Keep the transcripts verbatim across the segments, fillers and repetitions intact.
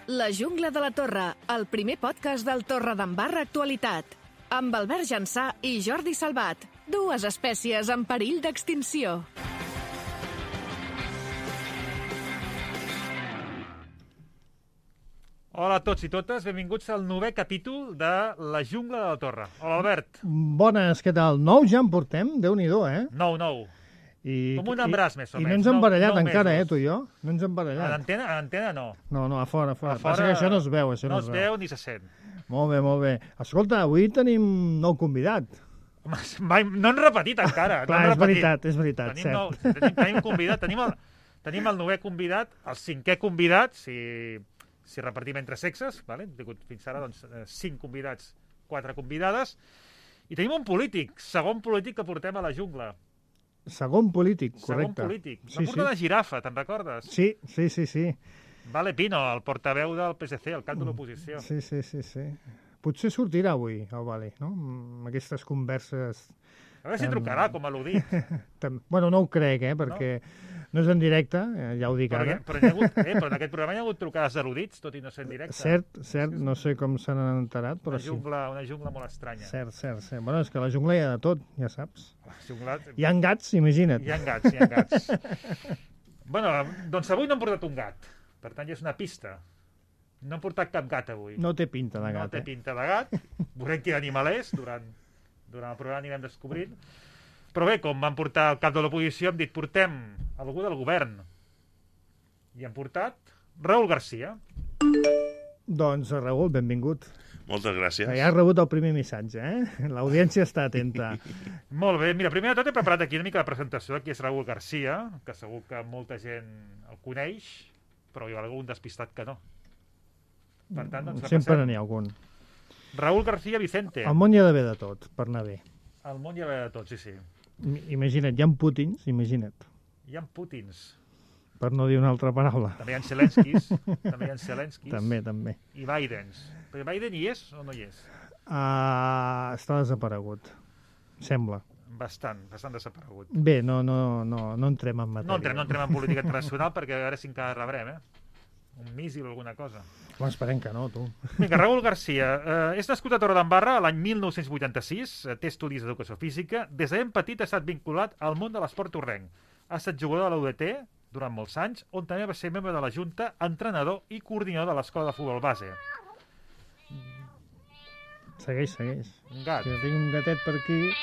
La jungla de la Torre, el primer podcast del Torredembarra Actualitat. Amb Albert Jansà i Jordi Salvat, dues espècies en perill d'extinció. Hola a tots i totes, benvinguts al novè capítol de La jungla de la Torre. Hola, Albert. Bones, què tal? Nou ja en portem? Déu-n'hi-do, eh? Nou, nou. I, Com un embràs, més o i, menys. I no ens hem barallat nou, nou encara, mesos. eh, tu i jo? No ens hem A barallat. l'antena, a l'antena no. No, no, a fora, a fora. A fora Passa que això no es veu, això no no, es veu ni se sent. Molt bé, molt bé. Escolta, avui tenim nou convidat. Home, mai, no han repetit encara. Clar, no han és repetit. veritat, és veritat, tenim cert. Nou, tenim, tenim convidat, tenim el, tenim el novè convidat, el cinquè convidat, si, si repartim entre sexes, vale? Hem tingut fins ara doncs, cinc convidats, quatre convidades, i tenim un polític, segon polític que portem a la jungla. Segon polític, Segon correcte. polític. Va Sí, portar sí. una girafa, te'n recordes? Sí, sí, sí, sí. Vale Pino, el portaveu del P S C, el cap de l'oposició. Sí, sí, sí, sí. Potser sortirà avui, el Vale, no? Amb aquestes converses... A veure si trucarà, com a l'Udit. Tam- Bueno, no ho crec, eh, perquè no, no és en directe, eh, ja ho dic Però, ara. però, hi ha hagut, eh, però en aquest programa hi ha hagut trucades d'erudits, tot i no ser en directe. Cert, cert, no sé com se n'han enterat, però Una sí. jungla, una jungla molt estranya. Cert, cert, cert. Bueno, és que a la jungla hi ha de tot, ja saps. La jungla... Hi ha gats, imagina't. Hi ha gats, hi ha gats. Bueno, doncs avui no hem portat un gat. Per tant, ja és una pista. No hem portat cap gat avui. No té pinta de no gat, té eh? pinta de gat. Veurem quin animal és. Durant, durant el programa anirem descobrint. Però bé, com van portar el cap de l'oposició, hem dit portem algú del govern. I hem portat Raúl García. Doncs, Raül, benvingut. Moltes gràcies. Ja has rebut el primer missatge, eh? L'audiència està atenta. Molt bé. Mira, primer de tot he preparat aquí una mica la presentació de qui és Raúl García, que segur que molta gent el coneix, però hi ha algun despistat que no. Per tant, doncs, Sempre repassem. n'hi ha algun. Raúl García Vicente. Al món hi ha d'haver de tot, per anar bé. Al món hi ha de tot, sí, sí. I- Imagina't, hi ha Putins, imagina't, Hi ha Putins, per no dir una altra paraula. també hi ha Zelenskis, també hi ha Zelenskis També, també. i Bidens. Però Biden hi és o no hi és? Uh, està desaparegut, sembla. Bastant, bastant desaparegut. Bé, no, no, no, no entrem en matèria. No entrem, no entrem en política internacional perquè a veure si encara rebrem, eh? Un míssil o alguna cosa. Home, esperem que no, tu. Vinga, Raúl García. Eh, és nascut a Torredembarra l'any mil nou-cents vuitanta-sis, eh, té estudis d'educació física. Des de ben petit ha estat vinculat al món de l'esport torrenc. Ha estat jugador de l'U D T durant molts anys, on també va ser membre de la Junta, entrenador i coordinador de l'escola de futbol base. Segueix, segueix. Un gat. Si tinc un gatet per aquí...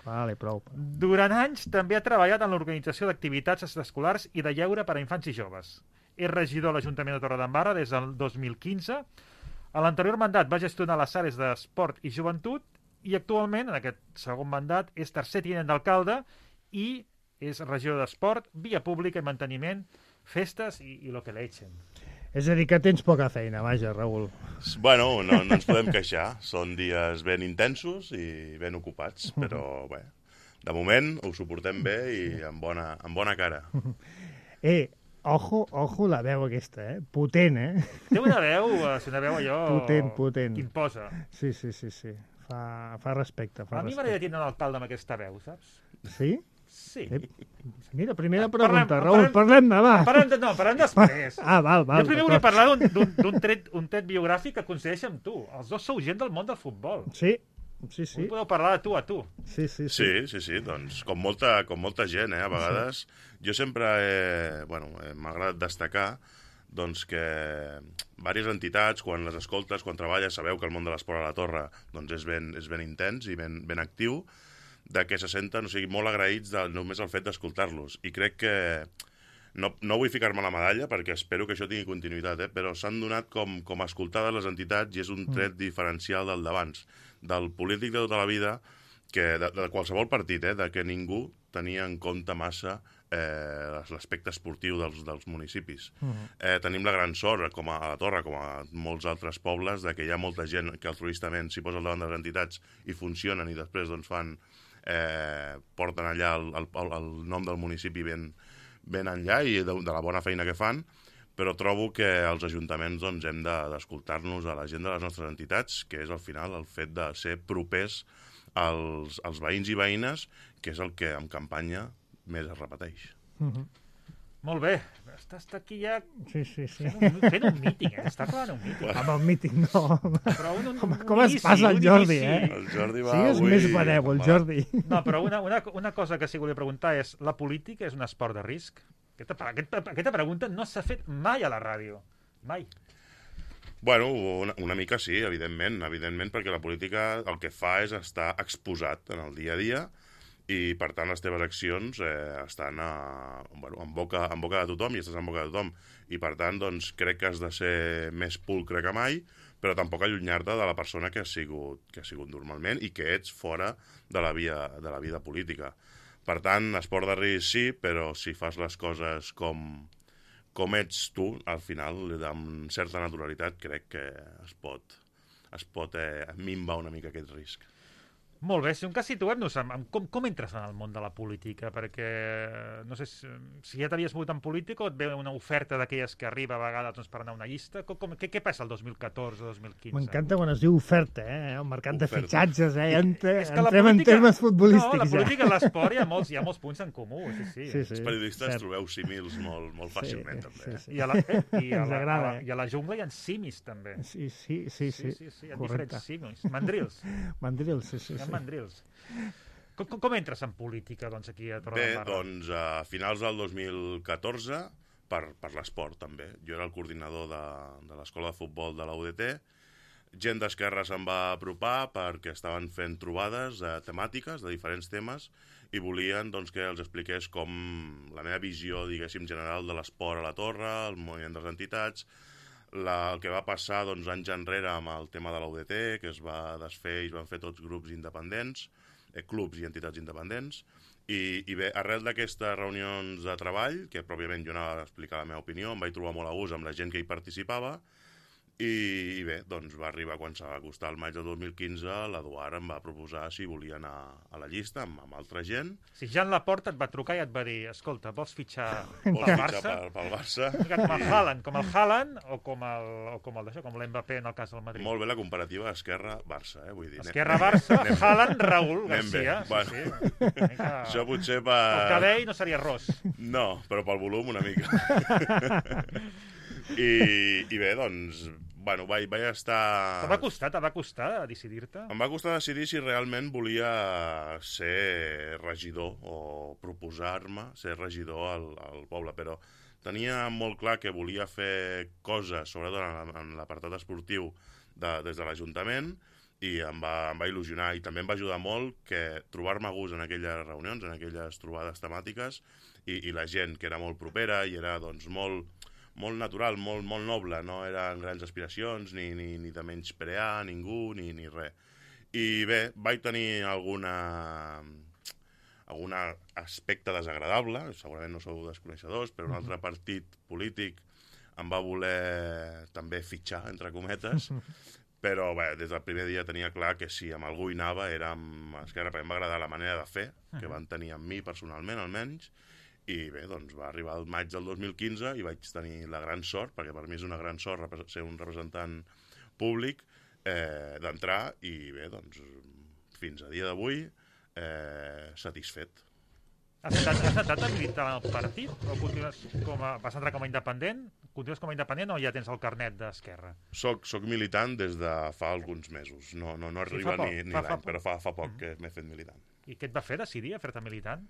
Vale, prou. Durant anys també ha treballat en l'organització d'activitats escolars i de lleure per a infants i joves. És regidor de l'Ajuntament de Torredembarra des del dos mil quinze. A l'anterior mandat va gestionar les àrees d'esport i joventut i actualment, en aquest segon mandat, és tercer tinent d'alcalde i és regidor d'esport, via pública i manteniment, festes i, i lo que le echen. És a dir, que tens poca feina, vaja, Raül. Bueno, no, no ens podem queixar. Són dies ben intensos i ben ocupats, però bé, de moment ho suportem bé i amb bona, amb bona cara. Eh, ojo, ojo la veu aquesta, eh? Potent, eh? Té una veu, eh, una veu allò... Potent, potent. Que imposa. Sí, sí, sí, sí. Fa, fa respecte, fa A mi respecte. m'agradaria tenir un alcalde amb aquesta veu, saps? Sí? Sí. Eh, mira, primera Parlem- pregunta, Raül, parlem- parlem-ne, va. Parlem, de, no, parlem després. Ah, val, val. jo primer d'acord. volia parlar d'un- d'un d'un tret, un tret biogràfic que coincideix amb tu. Els dos sou gent del món del futbol. Sí, sí, Sí. sí. Podeu parlar de tu a tu. Sí, sí, sí. Sí, sí, sí, doncs com molta, com molta gent, eh, a vegades. Jo sempre he, bueno, eh, m'ha agradat destacar doncs que diverses entitats, quan les escoltes, quan treballes, sabeu que el món de l'esport a la Torre doncs és, ben, és ben intens i ben, ben actiu, de que se senten, o sigui, molt agraïts de, només el fet d'escoltar-los. I crec que no, no vull ficar-me la medalla perquè espero que això tingui continuïtat, eh? Però s'han donat com, com a escoltades les entitats i és un tret mm. diferencial del d'abans, del polític de tota la vida, que de, de qualsevol partit, eh? De que ningú tenia en compte massa eh, l'aspecte esportiu dels, dels municipis. Uh -huh. eh, tenim la gran sort, com a, a la Torre, com a molts altres pobles, de que hi ha molta gent que altruistament s'hi posa al davant de les entitats i funcionen i després doncs, fan eh, porten allà el, el, el, el nom del municipi ben, ben enllà i de, de la bona feina que fan, però trobo que els ajuntaments doncs, hem d'escoltar-nos de, a la gent de les nostres entitats, que és al final el fet de ser propers als, als veïns i veïnes, que és el que en campanya més es repeteix. Uh -huh. Molt bé. Està, està aquí ja Sí, sí, sí. fent un, fent un míting, eh? Està acabant un míting. Home, el míting no. Però un, un, Home, un com es inici, passa el un Jordi, inici. eh? El Jordi va Sí, és avui... més benèvol, el Jordi. No, però una, una, una cosa que sí que volia preguntar és, la política és un esport de risc? Aquesta, aquesta, aquesta pregunta no s'ha fet mai a la ràdio. Mai. Bueno, una, una mica sí, evidentment, evidentment, perquè la política el que fa és estar exposat en el dia a dia i, per tant, les teves accions eh, estan a, bueno, en, boca, en boca de tothom i estàs en boca de tothom. I, per tant, doncs, crec que has de ser més pulcre que mai, però tampoc allunyar-te de la persona que has sigut, que has sigut normalment i que ets fora de la, via, de la vida política. Per tant, esport de risc sí, però si fas les coses com, com ets tu, al final, amb certa naturalitat, crec que es pot, es pot eh, minvar una mica aquest risc. Molt bé, si un cas situem-nos, amb, amb com, com entres en el món de la política? Perquè, no sé, si, si ja t'havies mogut en política o et ve una oferta d'aquelles que arriba a vegades doncs, per anar a una llista? Com, com, què, què passa el dos mil catorze dos mil quinze? M'encanta quan es diu oferta, eh? El mercat de Oferta. fitxatges, eh? Entre, És que la entrem en política- termes futbolístics. No, la política i ja. l'esport hi ha molts, hi ha molts punts en comú, sí, sí. Sí, sí, Els periodistes cert. trobeu símils molt, molt fàcilment, Sí, també. sí, sí. I a la, eh, i a Ens la, agrada, a la, eh? I a la jungla hi ha simis, també. Sí, sí, sí, sí. sí, sí, hi ha Correcte. diferents simis. Mandrils. Mandril, sí, sí, Hi ha sí. mandrils. Com, com, com entres en política, doncs, aquí a Bé, Torredembarra? doncs a finals del dos mil catorze, per, per l'esport també. Jo era el coordinador de, de l'escola de futbol de la U D T. Gent d'Esquerra se'n va apropar perquè estaven fent trobades eh, temàtiques de diferents temes i volien doncs, que els expliqués com la meva visió, diguéssim, general de l'esport a la Torre, el moviment de les entitats, la, el que va passar doncs, anys enrere amb el tema de la U D T, que es va desfer i es van fer tots grups independents, eh, clubs i entitats independents, i, i bé, arrel d'aquestes reunions de treball, que pròpiament jo anava a explicar la meva opinió, em vaig trobar molt a gust amb la gent que hi participava, i, i bé, doncs va arribar quan s'ha acostat el maig del dos mil quinze, l'Eduard em va proposar si volia anar a la llista amb, amb altra gent. Si Jan Laporta et va trucar i et va dir, escolta, vols fitxar Vols pel fitxar Barça? pel, pel Barça? Com el Haaland, com el Haaland o com el, o com el d'això, com l'Mbappé en el cas del Madrid. Molt bé la comparativa Esquerra-Barça, eh? Vull dir, anem- Esquerra-Barça, anem- Haaland, Raúl anem bé. Garcia. Sí, Bueno. sí. Una mica... Això potser El per... cabell no seria ros. No, però pel volum una mica. I, I bé, doncs, bueno, vaig, vaig estar... Te va costar, te va costar decidir-te? Em va costar decidir si realment volia ser regidor o proposar-me ser regidor al, al poble, però tenia molt clar que volia fer coses, sobretot en, en l'apartat esportiu, de, des de l'Ajuntament, i em va, em va il·lusionar, i també em va ajudar molt que trobar-me a gust en aquelles reunions, en aquelles trobades temàtiques, i, i la gent que era molt propera i era doncs, molt, molt natural, molt, molt noble, no eren grans aspiracions, ni, ni, ni de menysprear ningú, ni, ni res. I bé, vaig tenir alguna, algun aspecte desagradable, segurament no sou desconeixedors, però un altre partit polític em va voler també fitxar, entre cometes, però bé, des del primer dia tenia clar que si amb algú hi anava era amb Esquerra, perquè em va agradar la manera de fer que van tenir amb mi personalment, almenys, i bé, doncs va arribar el maig del dos mil quinze i vaig tenir la gran sort, perquè per mi és una gran sort ser un representant públic, eh, d'entrar, i bé, doncs fins a dia d'avui eh, satisfet. Has entrat, has entrat a militar en el partit? O continues com a, vas entrar com a independent? Continues com a independent o ja tens el carnet d'Esquerra? Soc, soc militant des de fa alguns mesos. No, no, no Sí, arriba fa poc, ni, ni fa- fa l'any, poc. però fa, fa poc que m'he fet militant. I què et va fer decidir a fer-te militant?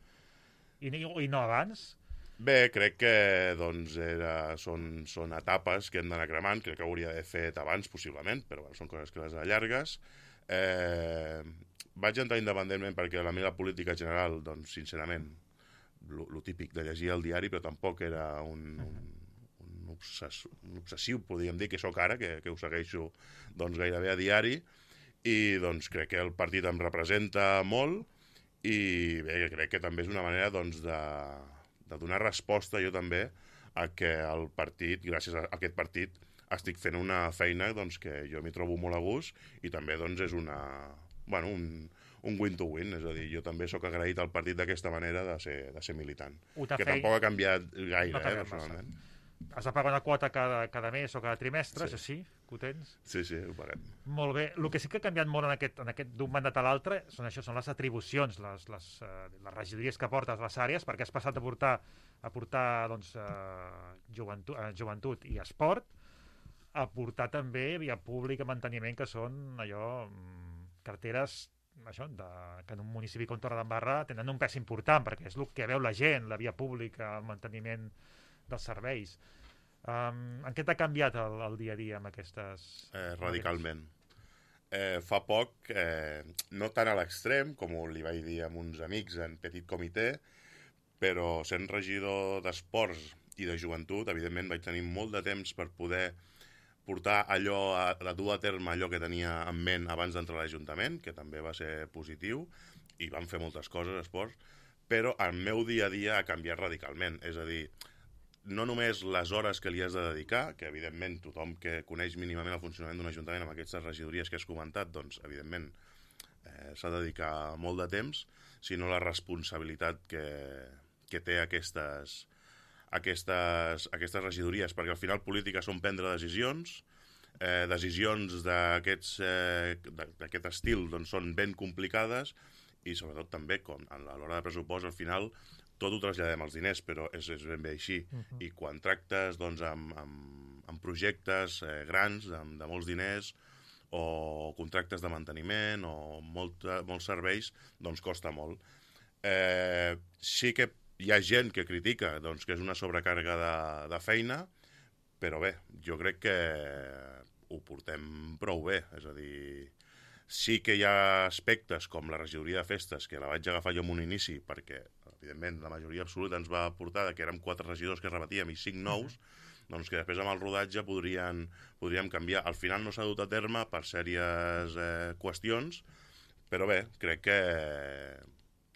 I, i, I no abans? Bé, crec que doncs, era, són, són etapes que hem d'anar cremant, crec que hauria d'haver fet abans, possiblement, però bueno, són coses que les allargues. Eh, vaig entrar independentment perquè la meva política general, doncs, sincerament, lo, lo típic de llegir el diari, però tampoc era un, un, un, obsess, un obsessiu, podríem dir, que sóc ara, que, que ho segueixo doncs, gairebé a diari, i doncs, crec que el partit em representa molt, i bé, crec que també és una manera doncs, de, de donar resposta jo també a que el partit, gràcies a aquest partit, estic fent una feina doncs, que jo m'hi trobo molt a gust, i també doncs, és una, bueno, un, un win-to-win, és a dir, jo també sóc agraït al partit d'aquesta manera de ser, de ser militant, Ho t'ha que fet- tampoc ha canviat gaire, No t'ha eh, canviat personalment. massa. Has de pagar una quota cada, cada mes o cada trimestre, Sí. això sí, que ho tens. Sí, sí, ho paguem. Molt bé. El que sí que ha canviat molt en aquest, en aquest d'un mandat a l'altre són això, són les atribucions, les, les, uh, les regidories que portes les àrees, perquè has passat a portar, a portar doncs, uh, joventut, uh, joventut i esport, a portar també via pública manteniment, que són allò, mm, carteres això, de, que en un municipi com Torredembarra tenen un pes important, perquè és el que veu la gent, la via pública, el manteniment dels serveis. Um, en què t'ha canviat el, el dia a dia amb aquestes... Eh, radicalment. Eh, fa poc, eh, no tan a l'extrem, com li vaig dir a uns amics en petit comitè, però sent regidor d'esports i de joventut, evidentment vaig tenir molt de temps per poder portar allò, a, a dur a terme allò que tenia en ment abans d'entrar a l'Ajuntament, que també va ser positiu, i vam fer moltes coses, esports, però el meu dia a dia ha canviat radicalment. És a dir, no només les hores que li has de dedicar, que evidentment tothom que coneix mínimament el funcionament d'un ajuntament amb aquestes regidories que has comentat, doncs evidentment eh, s'ha de dedicar molt de temps, sinó la responsabilitat que, que té aquestes, aquestes, aquestes regidories, perquè al final política són prendre decisions, eh, decisions d'aquests eh, d'aquest estil doncs, són ben complicades i sobretot també com a l'hora de pressupost al final tot ho traslladem als diners, però és, és ben bé així. Uh-huh. I quan tractes doncs, amb, amb, amb projectes eh, grans, amb, de molts diners, o contractes de manteniment, o molta, molts serveis, doncs costa molt. Eh, sí que hi ha gent que critica doncs, que és una sobrecàrrega de, de feina, però bé, jo crec que ho portem prou bé. És a dir, sí que hi ha aspectes com la regidoria de festes, que la vaig agafar jo en un inici, perquè, evidentment, la majoria absoluta ens va portar que érem quatre regidors que repetíem i cinc nous, doncs que després amb el rodatge podrien, podríem canviar. Al final no s'ha dut a terme per sèries eh, qüestions, però bé, crec que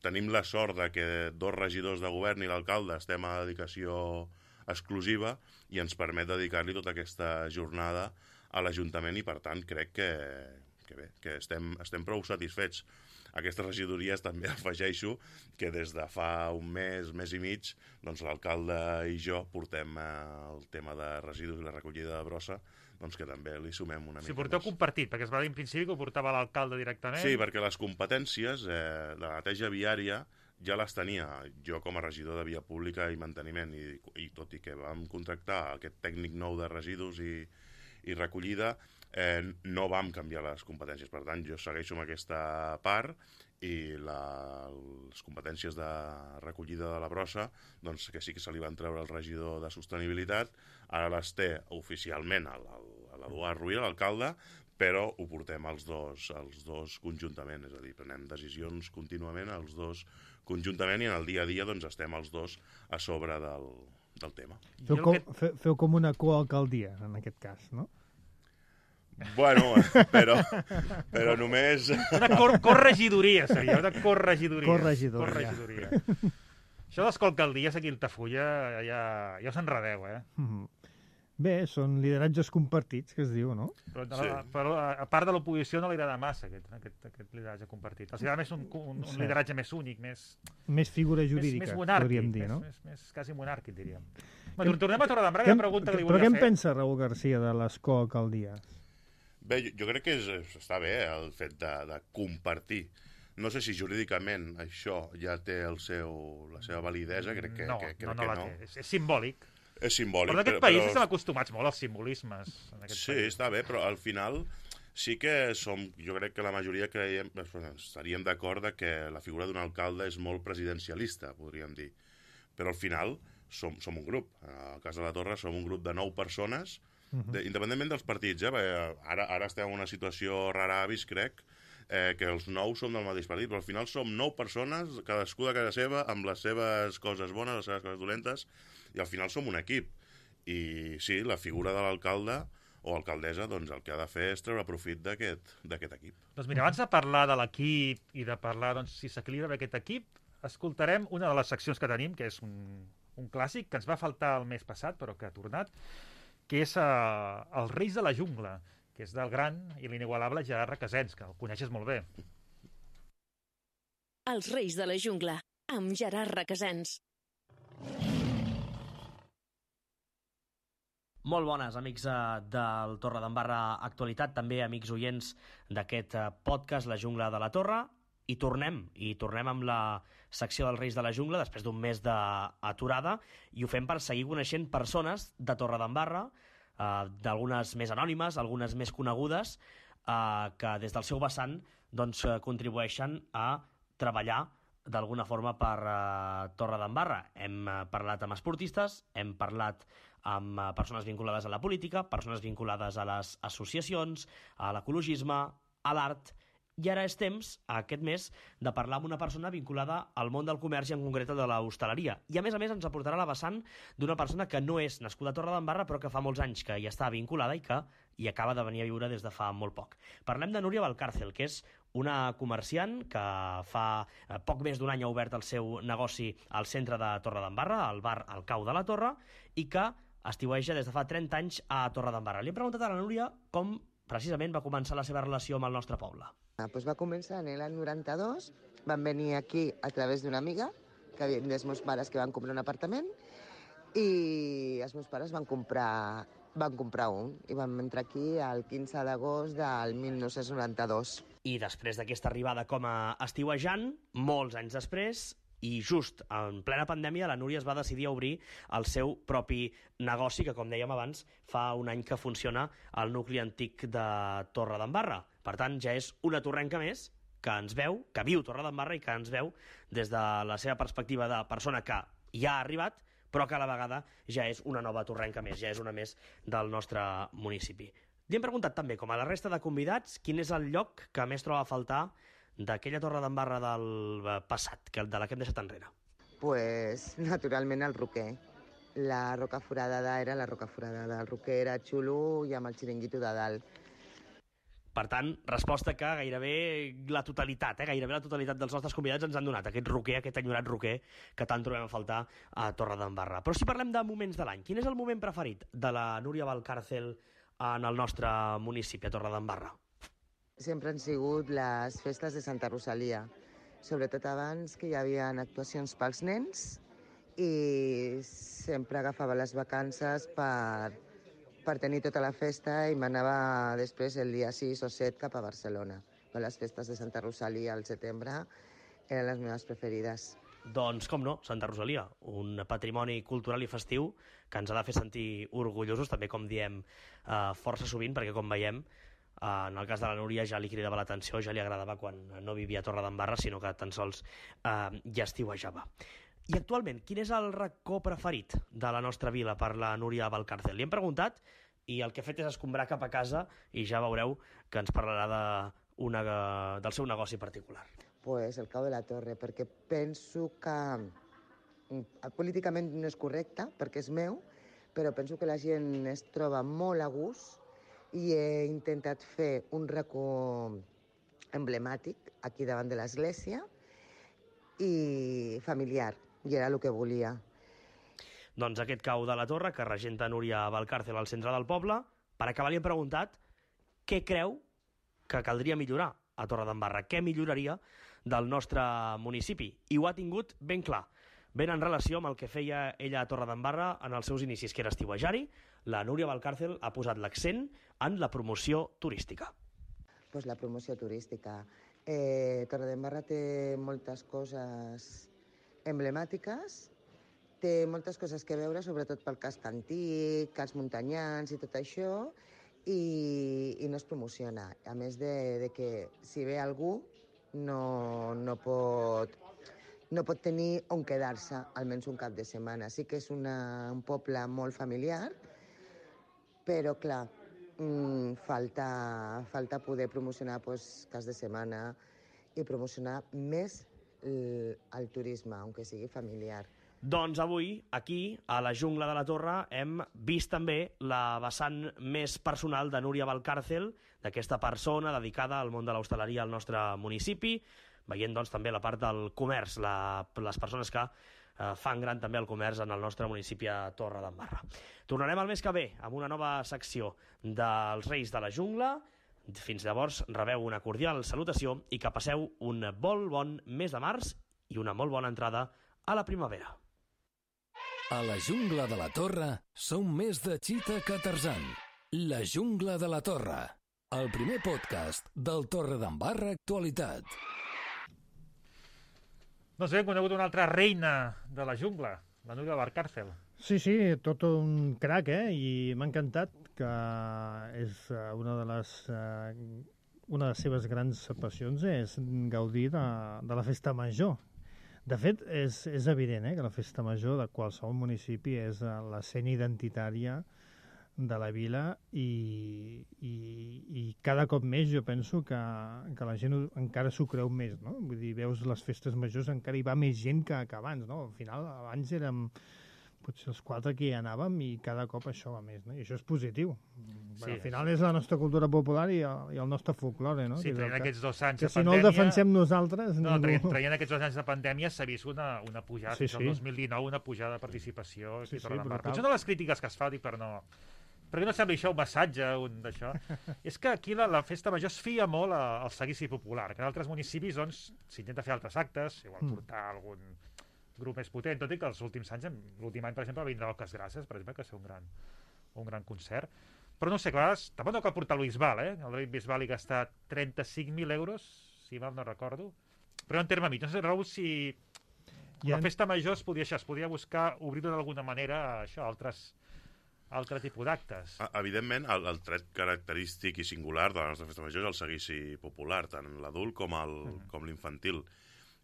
tenim la sort de que dos regidors de govern i l'alcalde estem a dedicació exclusiva i ens permet dedicar-li tota aquesta jornada a l'Ajuntament i, per tant, crec que, que bé, que estem, estem prou satisfets. Aquestes regidories també afegeixo que des de fa un mes, mes i mig, doncs l'alcalde i jo portem eh, el tema de residus i la recollida de brossa, doncs que també li sumem una mica Si porteu més. compartit, perquè es va dir en principi que ho portava l'alcalde directament. Sí, perquè les competències eh, de la neteja viària ja les tenia jo com a regidor de via pública i manteniment, i, i tot i que vam contractar aquest tècnic nou de residus i, i recollida, eh, no vam canviar les competències. Per tant, jo segueixo amb aquesta part i la, les competències de recollida de la brossa, doncs que sí que se li van treure al regidor de sostenibilitat, ara les té oficialment a l'Eduard Ruiz, l'alcalde, però ho portem els dos, els dos conjuntament, és a dir, prenem decisions contínuament els dos conjuntament i en el dia a dia doncs, estem els dos a sobre del, del tema. Feu com, fe, feu com una coalcaldia, en aquest cas, no? Bueno, però, però només... Una cor corregidoria seria, una corregidoria. Corregidoria. corregidoria. Això de les alcaldies aquí a Altafulla ja, ja us enredeu, eh? Mm-hmm. Bé, són lideratges compartits, que es diu, no? Però, sí. la, però a part de l'oposició no li agrada massa aquest, aquest, aquest lideratge compartit. Els agrada més un, un, un sí. lideratge més únic, més... Més figura jurídica, més, més monàrquic, podríem dir, més, no? Més, més, quasi monàrquic, diríem. Bueno, tornem a Torredembarra, que la pregunta que li però volia què en fer... pensa Raül Garcia de les coalcaldies? Bé, jo, jo crec que és, està bé el fet de, de compartir. No sé si jurídicament això ja té el seu, la seva validesa, crec que no, que, crec no, no que la no. té. És, és simbòlic. És simbòlic. Però en aquest però, país però... estem acostumats molt als simbolismes. En aquest sí, país. està bé, però al final sí que som, jo crec que la majoria creiem, estaríem d'acord que la figura d'un alcalde és molt presidencialista, podríem dir. Però al final som, som un grup. Al cas de la Torre som un grup de nou persones, de, independentment dels partits, eh? Ara, ara estem en una situació rara avis, crec, eh, que els nou som del mateix partit, però al final som nou persones, cadascú de casa seva, amb les seves coses bones, les seves coses dolentes, i al final som un equip. I sí, la figura de l'alcalde o alcaldessa, doncs el que ha de fer és treure profit d'aquest d'aquest equip. Doncs mira, abans de parlar de l'equip i de parlar doncs, si s'equilibra aquest equip, escoltarem una de les seccions que tenim, que és un, un clàssic, que ens va faltar el mes passat, però que ha tornat, que és uh, Els Reis de la Jungla, que és del gran i l'inigualable Gerard Requesens, que el coneixes molt bé. Els Reis de la Jungla, amb Gerard Requesens. Molt bones, amics eh, del Torredembarra Actualitat, també amics oients d'aquest eh, podcast La Jungla de la Torre. I tornem, i tornem amb la secció dels Reis de la Jungla després d'un mes d'aturada, i ho fem per seguir coneixent persones de Torredembarra, eh, d'algunes més anònimes, algunes més conegudes, eh, que des del seu vessant doncs, contribueixen a treballar d'alguna forma per uh, Torredembarra. Hem uh, parlat amb esportistes, hem parlat amb uh, persones vinculades a la política, persones vinculades a les associacions, a l'ecologisme, a l'art, i ara és temps, aquest mes, de parlar amb una persona vinculada al món del comerç i en concret de l'hostaleria. I a més a més ens aportarà la vessant d'una persona que no és nascuda a Torredembarra però que fa molts anys que hi està vinculada i que hi acaba de venir a viure des de fa molt poc. Parlem de Núria Valcárcel, que és una comerciant que fa poc més d'un any ha obert el seu negoci al centre de Torredembarra, al bar El Cau de la Torre, i que estiueja des de fa trenta anys a Torredembarra. Li he preguntat a la Núria com precisament va començar la seva relació amb el nostre poble. Ah, pues va començar en l'any noranta-dos, van venir aquí a través d'una amiga, que havien dels meus pares que van comprar un apartament, i els meus pares van comprar, van comprar un, i vam entrar aquí el quinze d'agost del mil nou-cents noranta-dos. I després d'aquesta arribada com a estiuejant, molts anys després, i just en plena pandèmia, la Núria es va decidir a obrir el seu propi negoci, que, com dèiem abans, fa un any que funciona al nucli antic de Torredembarra. Per tant, ja és una torrenca més que ens veu, que viu Torredembarra i que ens veu des de la seva perspectiva de persona que ja ha arribat, però que a la vegada ja és una nova torrenca més, ja és una més del nostre municipi. Li hem preguntat també, com a la resta de convidats, quin és el lloc que més troba a faltar d'aquella Torredembarra del passat, que de la que hem deixat enrere? Pues, naturalment, el Roquer. La Roca Foradada era la Roca Foradada. El Roquer era xulo i amb el xiringuito de dalt. Per tant, resposta que gairebé la totalitat, eh, gairebé la totalitat dels nostres convidats ens han donat, aquest roquer, aquest enyorat roquer que tant trobem a faltar a Torredembarra. Però si parlem de moments de l'any, quin és el moment preferit de la Núria Valcárcel en el nostre municipi, a Torredembarra? Sempre han sigut les festes de Santa Rosalia, sobretot abans, que hi havia actuacions pels nens, i sempre agafava les vacances per, per tenir tota la festa i m'anava després el dia sis o set cap a Barcelona. Les festes de Santa Rosalia al setembre eren les meves preferides. Doncs, com no, Santa Rosalia, un patrimoni cultural i festiu que ens ha de fer sentir orgullosos, també com diem eh, força sovint, perquè com veiem, en el cas de la Núria ja li cridava l'atenció, ja li agradava quan no vivia a Torredembarra, sinó que tan sols eh, ja estiuejava. I actualment, quin és el racó preferit de la nostra vila per la Núria Valcárcel? Li hem preguntat i el que ha fet és escombrar cap a casa i ja veureu que ens parlarà de una, del seu negoci particular. Pues el Cau de la Torre, perquè penso que políticament no és correcte, perquè és meu, però penso que la gent es troba molt a gust i he intentat fer un racó emblemàtic aquí davant de l'església i familiar, i era el que volia. Doncs aquest Cau de la Torre, que regenta Núria Valcárcel al centre del poble, per acabar li hem preguntat què creu que caldria millorar a Torredembarra, què milloraria del nostre municipi, i ho ha tingut ben clar. Ben en relació amb el que feia ella a Torredembarra en els seus inicis, que era estiuejar-hi, la Núria Valcárcel ha posat l'accent en la promoció turística. Pues la promoció turística. Eh, Torredembarra té moltes coses emblemàtiques, té moltes coses que veure, sobretot pel casc antic, els muntanyans i tot això, i, i no es promociona. A més de, de que si ve algú no, no pot... no pot tenir on quedar-se almenys un cap de setmana. Sí que és una, un poble molt familiar, però, clar, mmm, falta, falta poder promocionar pues, cas de setmana i promocionar més el, el turisme, aunque sigui familiar. Doncs avui, aquí, a la Jungla de la Torre, hem vist també la vessant més personal de Núria Valcárcel, d'aquesta persona dedicada al món de l'hostaleria al nostre municipi, veient doncs, també la part del comerç, la, les persones que eh, fan gran també el comerç en el nostre municipi a Torredembarra. Tornarem el mes que ve amb una nova secció dels Reis de la Jungla. Fins llavors, rebeu una cordial salutació i que passeu un molt bon mes de març i una molt bona entrada a la primavera. A la jungla de la Torre som més de Cheetah que Tarzan. La jungla de la Torre, el primer podcast del Torredembarra Actualitat. Doncs bé, hem conegut una altra reina de la jungla, la Núria Valcárcel. Sí, sí, tot un crac, eh? I m'ha encantat que és una de les... Eh, una de les seves grans passions és gaudir de, de la festa major. De fet, és, és evident eh, que la festa major de qualsevol municipi és l'escena identitària de la vila i, i, i cada cop més jo penso que, que la gent encara s'ho creu més, no? Vull dir, veus les festes majors, encara hi va més gent que, que abans, no? Al final, abans érem potser els quatre que hi anàvem i cada cop això va més, no? I això és positiu. Sí, bueno, al final és la nostra cultura popular i el, i el nostre folklore, no? Sí, traient aquests dos anys que de si pandèmia... no el defensem nosaltres... No, ningú... traient, traient aquests dos anys de pandèmia s'ha vist una, una pujada, sí, sí. sí. El dos mil dinou una pujada de participació. Sí, sí, Potser no les crítiques que es fa, dic, per no... Perquè no sembla això un massatge, un d'això. És que aquí la, la festa major es fia molt a, al seguici popular, que en altres municipis doncs s'intenta fer altres actes, igual Mm. portar algun grup més potent, tot i que els últims anys, l'últim any, per exemple, va vindre Oques Grasses, per exemple, que va ser un gran, un gran concert. Però no sé, clar, tampoc no cal portar el Bisbal, eh? El David Bisbal hi gasta trenta-cinc mil euros, si mal no recordo. Però en terme mig. No sé, Raül, si Ja... la festa major es podia, això, es podia buscar obrir-ho d'alguna manera a això, altres, altre tipus d'actes. Evidentment, el, el tret característic i singular de la nostra festa major és el seguici popular, tant l'adult com el, mm. com l'infantil.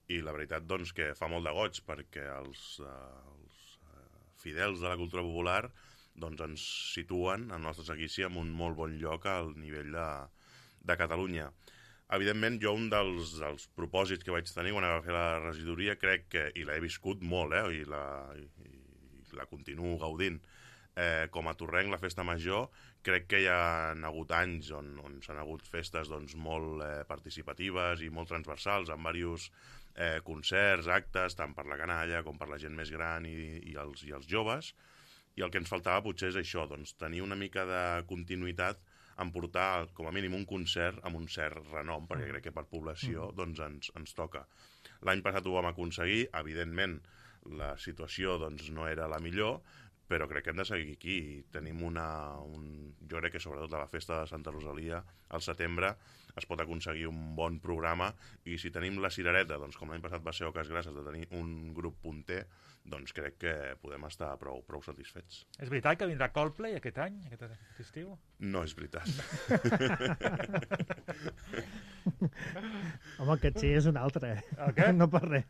I la veritat, doncs, que fa molt de goig, perquè els, uh, els uh, fidels de la cultura popular doncs, ens situen el nostre seguici en un molt bon lloc al nivell de, de Catalunya. Evidentment, jo un dels, dels propòsits que vaig tenir quan vaig fer la regidoria, crec que, i l'he viscut molt, eh, i, la, i, i la continuo gaudint, eh, com a Torrenc, la festa major, crec que hi ha hagut anys on, on s'han hagut festes doncs, molt eh, participatives i molt transversals, amb diversos eh, concerts, actes, tant per la canalla com per la gent més gran i, i, els, i els joves, i el que ens faltava potser és això, doncs, tenir una mica de continuïtat en portar com a mínim un concert amb un cert renom, perquè crec que per població doncs, ens, ens toca. L'any passat ho vam aconseguir, evidentment la situació doncs, no era la millor, però crec que hem de seguir aquí. Tenim una... Un, jo crec que sobretot a la festa de Santa Rosalia, al setembre, es pot aconseguir un bon programa, i si tenim la cirereta, doncs, com l'any passat va ser Oques Grasses, de tenir un grup punter, doncs crec que podem estar prou, prou satisfets. És veritat que vindrà Coldplay aquest any, aquest estiu? No és veritat. Home, el caché és un altre, eh? El què? No per res.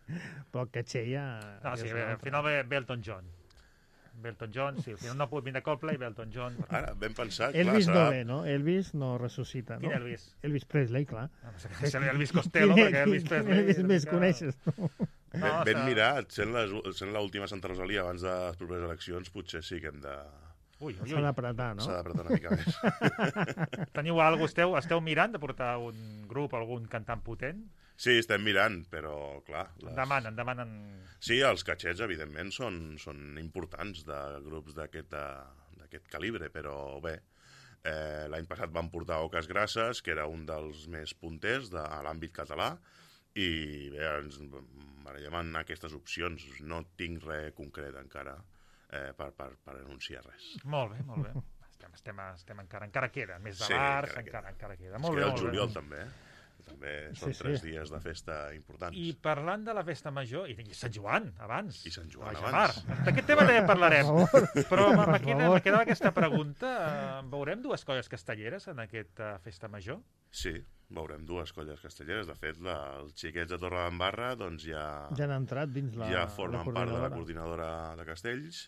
Però el caché ja... No, ja sí, és bé, al final ve, ve Elton John. Ve Elton John, sí, al final no pot vindre Coldplay, ve Elton John. Ara, ben pensat, Elvis clar, no serà... ve, no? Elvis no ressuscita, no? Quin Elvis? Elvis Presley, clar. No, no sé què és Elvis Costello, perquè Elvis Presley... Elvis més coneixes, no? Ben, No, ben està- mirat, sent les- sent l'última Santa Rosalia abans de les properes eleccions, potser sí que hem de... Ui, ui, S'ha ui. d'apretar, no? S'ha d'apretar una mica més. Teniu alguna cosa? Esteu, esteu mirant de portar un grup, algun cantant potent? Sí, estem mirant, però, clar... Les... En demanen, demanen... Sí, els catxets, evidentment, són, són importants de grups d'aquest d'aquest calibre, però bé, eh, l'any passat vam portar Oques Grasses, que era un dels més punters de, a l'àmbit català, i bé, ens barallem en aquestes opcions. No tinc res concret encara eh, per, per, per anunciar res. Molt bé, molt bé. Estem, estem, estem encara, encara queda. Més de Sí, bars, encara encara, encara queda. Es Molt bé, queda el molt bé. juliol, també, eh? També són Sí, sí. tres dies de festa importants. I parlant de la festa major, i, i Sant Joan, abans. I Sant Joan La abans. Jamar. D'aquest tema també parlarem. Però me, me, Per queda, favor. me quedava aquesta pregunta. Eh, Veurem dues colles castelleres en aquesta festa major? Sí, veurem dues colles castelleres. De fet, la, els xiquets de Torredembarra doncs ja, Ja han entrat dins la ja formen la part de la coordinadora. coordinadora de Castells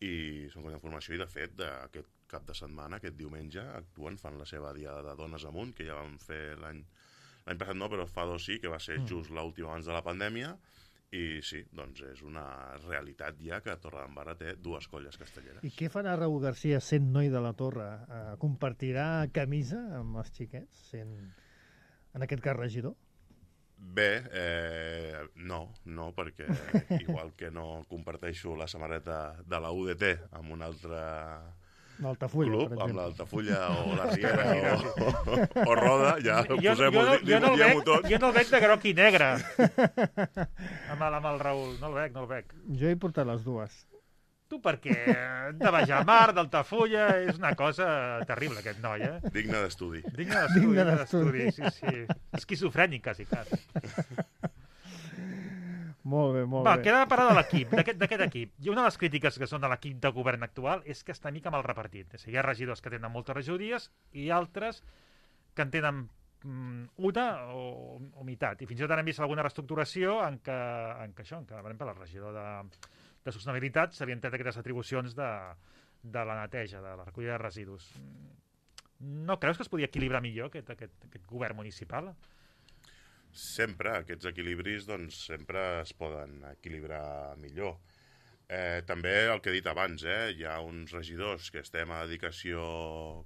i són colla de formació, i de fet aquest cap de setmana, aquest diumenge, actuen, fan la seva diada de Dones Amunt, que ja vam fer l'any l'any passat no, però fa dos sí, que va ser just l'última abans de la pandèmia, i sí, doncs és una realitat ja que Torredembarra té dues colles castelleres. I què farà Raúl García, sent noi de la Torre? Eh, compartirà camisa amb els xiquets, sent, en aquest cas, regidor? Bé, eh, no, no, perquè igual que no comparteixo la samarreta de la U D T amb un altre L'Altafulla, club, per amb exemple. l'Altafulla o la Riera o, o Roda, ja Jo, posem-ho, jo, no, jo, no el diguem-ho veig, tot. jo no el veig de groc i negre amb el, amb el Raül, no el veig, no el veig. Jo he portat les dues. Tu perquè de baix al mar, d'Altafulla, és una cosa terrible, aquest noi, eh? Digne d'estudi. Digne d'estudi, Digne d'estudi, sí, sí. Esquizofrènic, quasi, quasi. Molt bé, molt Va, bé. queda de parlar de l'equip, d'aquest d'aquest equip. I una de les crítiques que són de l'equip de govern actual és que està mica mal repartit. És a dir, hi ha regidors que tenen moltes regidories i altres que en tenen mm, una o, o meitat. I fins i tot hem vist alguna reestructuració en què, en què això, en què, per exemple, el regidor de, de sostenibilitat s'havien tret aquestes atribucions de, de la neteja, de la recollida de residus. No creus que es podia equilibrar millor aquest, aquest, aquest govern municipal? Sempre, aquests equilibris doncs, sempre es poden equilibrar millor. Eh, també el que he dit abans, eh, hi ha uns regidors que estem a dedicació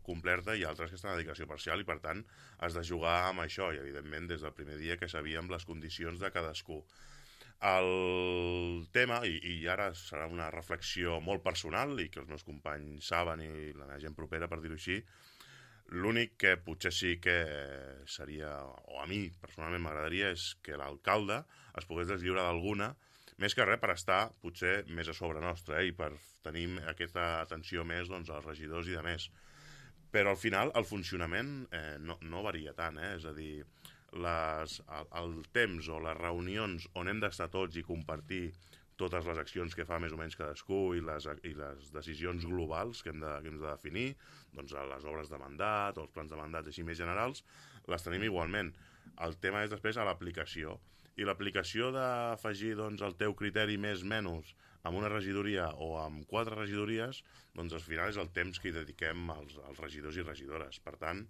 completa i altres que estan a dedicació parcial i, per tant, has de jugar amb això i, evidentment, des del primer dia que sabíem les condicions de cadascú. El tema, i, i ara serà una reflexió molt personal i que els meus companys saben i la meva gent propera, per dir-ho així, l'únic que potser sí que seria, o a mi personalment m'agradaria, és que l'alcalde es pogués deslliurar d'alguna, més que res per estar potser més a sobre nostre, eh, i per tenir aquesta atenció més doncs, als regidors i de més. Però al final el funcionament eh, no, no varia tant, eh? És a dir, les, el, el temps o les reunions on hem d'estar tots i compartir totes les accions que fa més o menys cadascú i les, i les decisions globals que hem de, que hem de definir, doncs les obres de mandat o els plans de mandat així més generals, les tenim igualment. El tema és després a l'aplicació. I l'aplicació d'afegir doncs, el teu criteri més menys amb una regidoria o amb quatre regidories, doncs al final és el temps que hi dediquem als, als regidors i regidores. Per tant,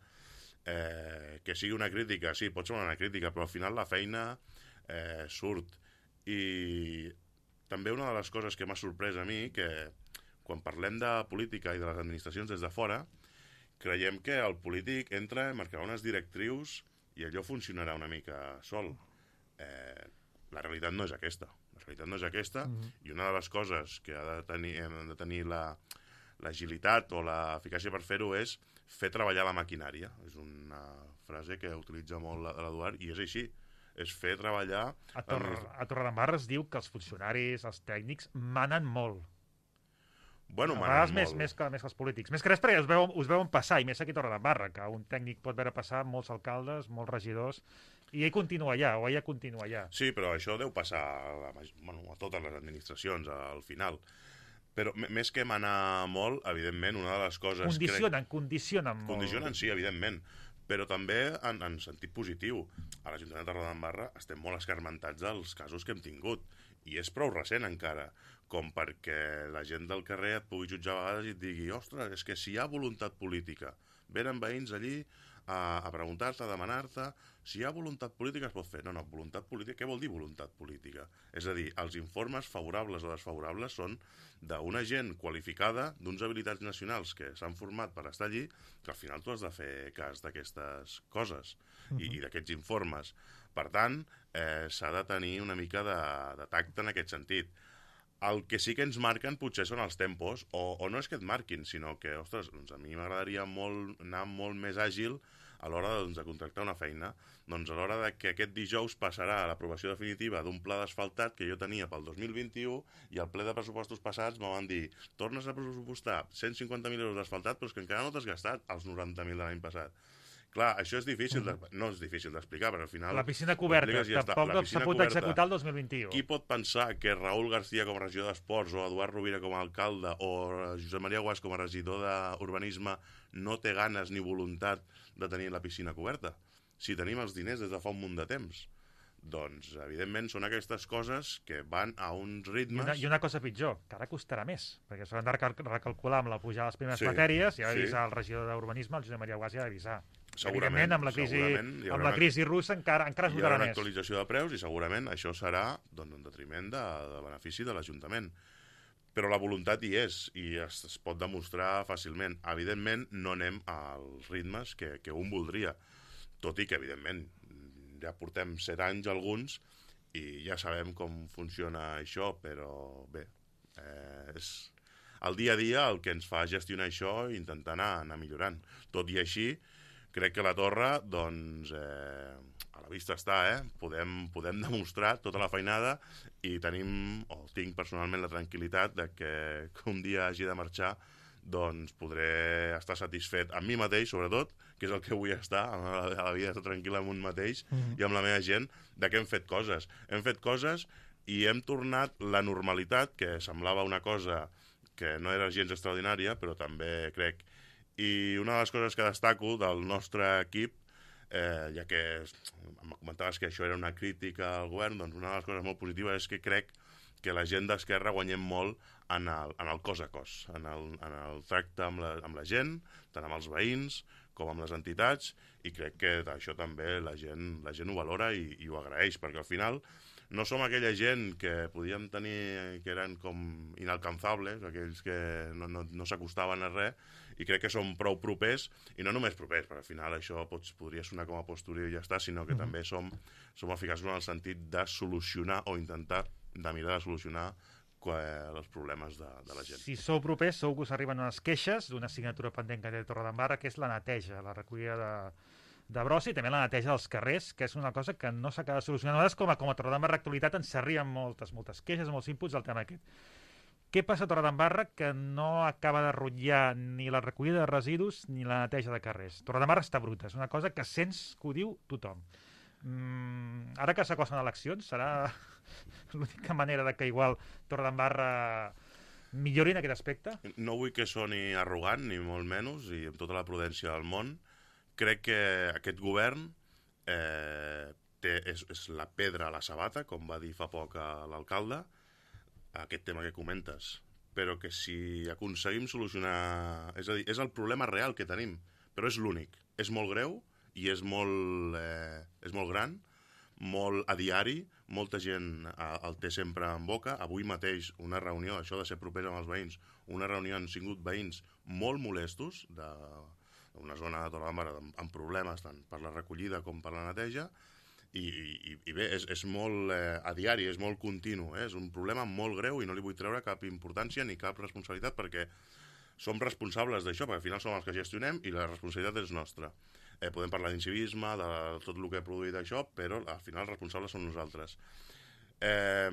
eh, que sigui una crítica, sí, pot ser una crítica, però al final la feina eh, surt. I també una de les coses que m'ha sorprès a mi, que quan parlem de política i de les administracions des de fora, creiem que el polític entra a marcar unes directrius i allò funcionarà una mica sol. Eh, la realitat no és aquesta. La realitat no és aquesta, mm-hmm. I una de les coses que ha de tenir, hem de tenir la, l'agilitat o l'eficàcia per fer-ho és fer treballar la maquinària. És una frase que utilitza molt l'Eduard i és així. És fer treballar... A, Tor a Torredembarra es diu que els funcionaris, els tècnics, manen molt. Bueno, a manen més, molt. Més que, més que els polítics. Més que res perquè us veuen, us veuen passar, i més aquí a Torredembarra, que un tècnic pot veure passar molts alcaldes, molts regidors, i ell continua allà, o ella continua allà. Sí, però això deu passar a, la, bueno, a totes les administracions, al final. Però més que manar molt, evidentment, una de les coses... Condicionen, crec... condicionen molt. Condicionen, sí, evidentment. Però també en, en sentit positiu. A l'Ajuntament de Torredembarra estem molt escarmentats dels casos que hem tingut. I és prou recent encara, com perquè la gent del carrer et pugui jutjar a vegades i et digui ostres, és que si hi ha voluntat política, venen veïns allí a, a preguntar-te, a demanar-te, si hi ha voluntat política es pot fer. No, no, voluntat política, què vol dir voluntat política? És a dir, els informes favorables o desfavorables són d'una gent qualificada, d'uns habilitats nacionals que s'han format per estar allí, que al final tu has de fer cas d'aquestes coses i, i d'aquests informes. Per tant, eh, s'ha de tenir una mica de, de tacte en aquest sentit. El que sí que ens marquen potser són els tempos, o, o no és que et marquin, sinó que, ostres, doncs a mi m'agradaria molt, anar molt més àgil a l'hora doncs, de contractar una feina. Doncs a l'hora de que aquest dijous passarà a l'aprovació definitiva d'un pla d'asfaltat que jo tenia pel dos mil vint-i-u i al ple de pressupostos passats me van dir tornes a pressupostar cent cinquanta mil euros d'asfaltat però és que encara no t'has gastat els noranta mil de l'any passat. Clar, això és difícil, de, no és difícil d'explicar, però al final... La piscina coberta, ja tampoc s'ha pogut executar el dos mil vint-i-u. Qui pot pensar que Raül García com a regidor d'Esports o Eduard Rovira com a alcalde o Josep Maria Guas com a regidor d'Urbanisme no té ganes ni voluntat de tenir la piscina coberta? Si tenim els diners des de fa un munt de temps. Doncs, evidentment, són aquestes coses que van a uns ritmes... I una, i una cosa pitjor, que ara costarà més, perquè s'han de recalcular amb la pujada de les primeres sí, matèries, i ha sí. d'avisar el regidor d'Urbanisme, el Josep Maria Guas, i ha d'avisar. Segurament, amb la crisi, amb la una, crisi russa encara, encara es hi notarà haurà una més. actualització de preus i segurament això serà doncs, en detriment de, de benefici de l'Ajuntament. Però la voluntat hi és i es, es pot demostrar fàcilment. Evidentment, no anem als ritmes que, que un voldria, tot i que, evidentment, ja portem set anys alguns i ja sabem com funciona això, però bé, eh, és el dia a dia el que ens fa gestionar això i intentar anar, anar millorant. Tot i així, crec que la torre, doncs, eh, a la vista està, eh? Podem, podem demostrar tota la feinada i tenim, o tinc personalment la tranquil·litat de que un dia hagi de marxar, doncs podré estar satisfet amb mi mateix, sobretot, que és el que vull estar, a la vida, estar tranquil amb un mateix mm-hmm. i amb la meva gent, de que hem fet coses. Hem fet coses i hem tornat la normalitat, que semblava una cosa que no era gens extraordinària, però també crec. I una de les coses que destaco del nostre equip, eh, ja que em comentaves que això era una crítica al govern, doncs una de les coses molt positives és que crec que la gent d'Esquerra guanyem molt en el, en el cos a cos, en el, en el tracte amb la, amb la gent, tant amb els veïns com amb les entitats, i crec que això també la gent, la gent ho valora i, i ho agraeix, perquè al final no som aquella gent que podíem tenir, que eren com inalcanzables, aquells que no, no, no s'acostaven a res, i crec que som prou propers, i no només propers, perquè al final això pots, podria sonar com a postureo i ja està, sinó que mm-hmm. també som, som eficaços en el sentit de solucionar o intentar de mirar de solucionar els problemes de, de la gent. Si sou propers, segur que us arriben unes queixes d'una assignatura pendent que té Torredembarra, que és la neteja, la recollida de, de brossa i també la neteja dels carrers, que és una cosa que no s'acaba de solucionar. Nosaltres, com a, com a Torredembarra Actualitat, ens arriben moltes, moltes queixes, molts inputs del tema aquest. Què passa a Torredembarra que no acaba de rotllar ni la recollida de residus ni la neteja de carrers? Torredembarra està bruta, és una cosa que sents que ho diu tothom. Mm, ara que s'acosten eleccions, serà l'única manera de que igual Torredembarra millori en aquest aspecte? No vull que soni arrogant, ni molt menys, i amb tota la prudència del món. Crec que aquest govern eh, té, és, és la pedra a la sabata, com va dir fa poc a l'alcalde, aquest tema que comentes, però que si aconseguim solucionar... És a dir, és el problema real que tenim, però és l'únic. És molt greu i és molt, eh, és molt gran, molt a diari, molta gent el té sempre en boca. Avui mateix una reunió, això de ser propers amb els veïns, una reunió han sigut veïns molt molestos d'una zona de Torredembarra amb, amb problemes tant per la recollida com per la neteja, i, i, i bé, és, és molt eh, a diari, és molt continu, eh? És un problema molt greu i no li vull treure cap importància ni cap responsabilitat, perquè som responsables d'això, perquè al final som els que gestionem i la responsabilitat és nostra. Eh, podem parlar d'incivisme, de tot el que ha produït això, però al final els responsables som nosaltres. Eh,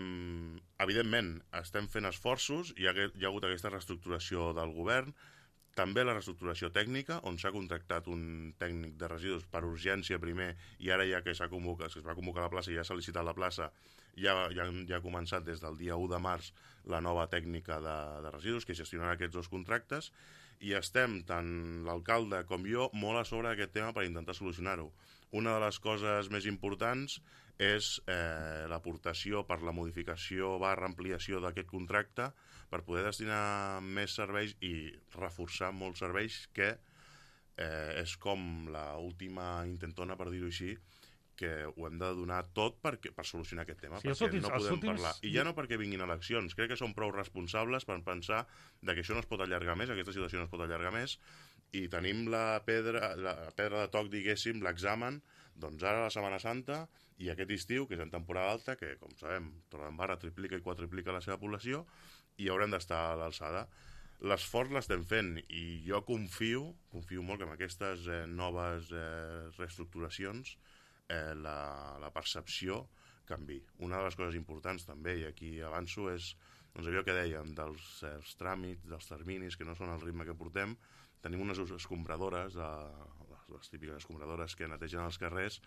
evidentment, estem fent esforços, hi ha, hi ha hagut aquesta reestructuració del govern, també la reestructuració tècnica, on s'ha contractat un tècnic de residus per urgència primer, i ara ja que s'ha convocat, es va convocar la plaça i ja s'ha licitat la plaça, ja, ja, ja ha començat des del dia u de març la nova tècnica de, de residus que gestionarà aquests dos contractes, i estem, tant l'alcalde com jo, molt a sobre d'aquest tema per intentar solucionar-ho. Una de les coses més importants és eh, l'aportació per la modificació barra ampliació d'aquest contracte per poder destinar més serveis i reforçar molts serveis que eh, és com l'última intentona, per dir-ho així, que ho hem de donar tot per, per solucionar aquest tema, sí, perquè últims, no podem últims... parlar. I ja no perquè vinguin eleccions, crec que som prou responsables per pensar de que això no es pot allargar més, aquesta situació no es pot allargar més, i tenim la pedra, la pedra de toc, diguéssim, l'examen, doncs ara la Setmana Santa i aquest estiu, que és en temporada alta, que, com sabem, Torredembarra triplica i quadriplica la seva població, i haurem d'estar a l'alçada. L'esforç l'estem fent, i jo confio, confio molt que amb aquestes eh, noves eh, reestructuracions eh, la, la percepció canvi. Una de les coses importants també, i aquí avanço, és doncs, allò que dèiem dels eh, tràmits, dels terminis, que no són el ritme que portem. Tenim unes escombradores, eh, les, les típiques escombradores que netegen els carrers,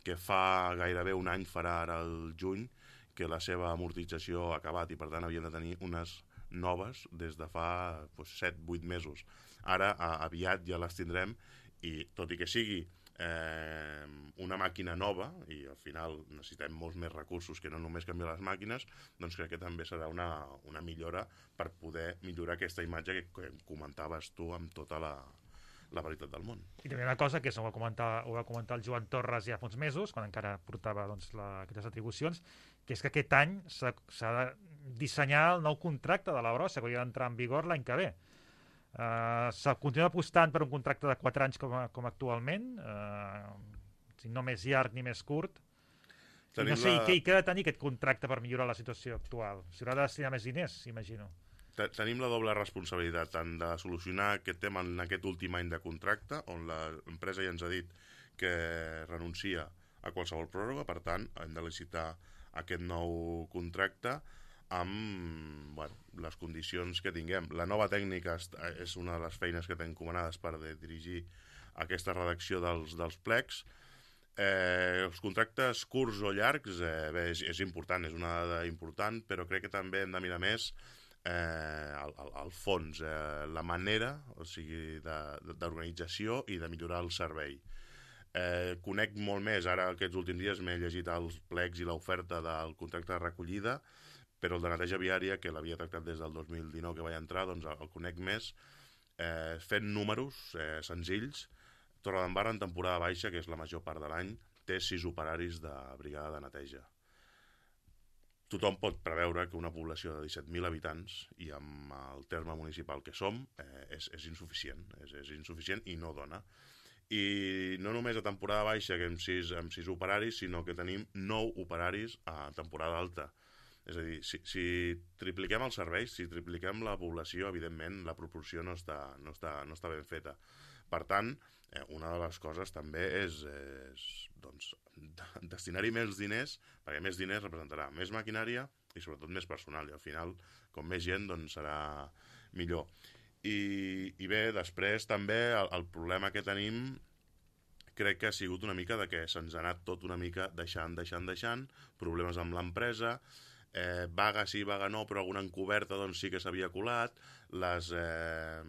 que fa gairebé un any, farà ara el juny, que la seva amortització ha acabat i per tant havien de tenir unes noves des de fa doncs, set vuit mesos. Ara a, aviat ja les tindrem, i tot i que sigui eh, una màquina nova, i al final necessitem molts més recursos que no només canviar les màquines, doncs crec que també serà una, una millora per poder millorar aquesta imatge que, que comentaves tu amb tota la, la veritat del món. I també una cosa que ho va comentar, ho va comentar el Joan Torres ja fa uns mesos, quan encara portava doncs, la, aquestes atribucions, que és que aquest any s'ha de dissenyar el nou contracte de la brossa, que hauria d'entrar en vigor l'any que ve. Uh, se continua apostant per un contracte de quatre anys com, a, com actualment, uh, no més llarg ni més curt. I no sé, la... i, què, i què ha de tenir aquest contracte per millorar la situació actual? S'hi haurà de destinar més diners, imagino. tenim la doble responsabilitat tant de solucionar aquest tema en aquest últim any de contracte, on l'empresa ja ens ha dit que renuncia a qualsevol pròrroga, per tant, hem de licitar aquest nou contracte amb bueno, les condicions que tinguem. La nova tècnica és una de les feines que tenim encomanades per dirigir aquesta redacció dels, dels plecs. Eh, els contractes curts o llargs eh, bé, és, és important, és una dada important, però crec que també hem de mirar més eh, el, el, el fons, eh, la manera, o sigui, d'organització i de millorar el servei. Eh, conec molt més, ara aquests últims dies m'he llegit els plecs i l'oferta del contracte de recollida, però el de neteja viària, que l'havia tractat des del dos mil dinou que vaig entrar, doncs el conec més, eh, fent números eh, senzills. Torredembarra en temporada baixa, que és la major part de l'any, té sis operaris de brigada de neteja. Tothom pot preveure que una població de disset mil habitants, i amb el terme municipal que som, eh, és, és insuficient, és, és insuficient i no dona. I no només a temporada baixa, que amb sis, amb sis operaris, sinó que tenim nou operaris a temporada alta. És a dir, si, si tripliquem els serveis, si tripliquem la població, evidentment la proporció no està, no està, no està ben feta. Per tant, eh, una de les coses també és, és doncs, destinar-hi més diners, perquè més diners representarà més maquinària i sobretot més personal, i al final, com més gent, doncs serà millor. I, i bé, després també el, el problema que tenim crec que ha sigut una mica de que se'ns ha anat tot una mica deixant, deixant, deixant, problemes amb l'empresa, eh, vaga sí, vaga no, però alguna encoberta doncs sí que s'havia colat, les... Eh,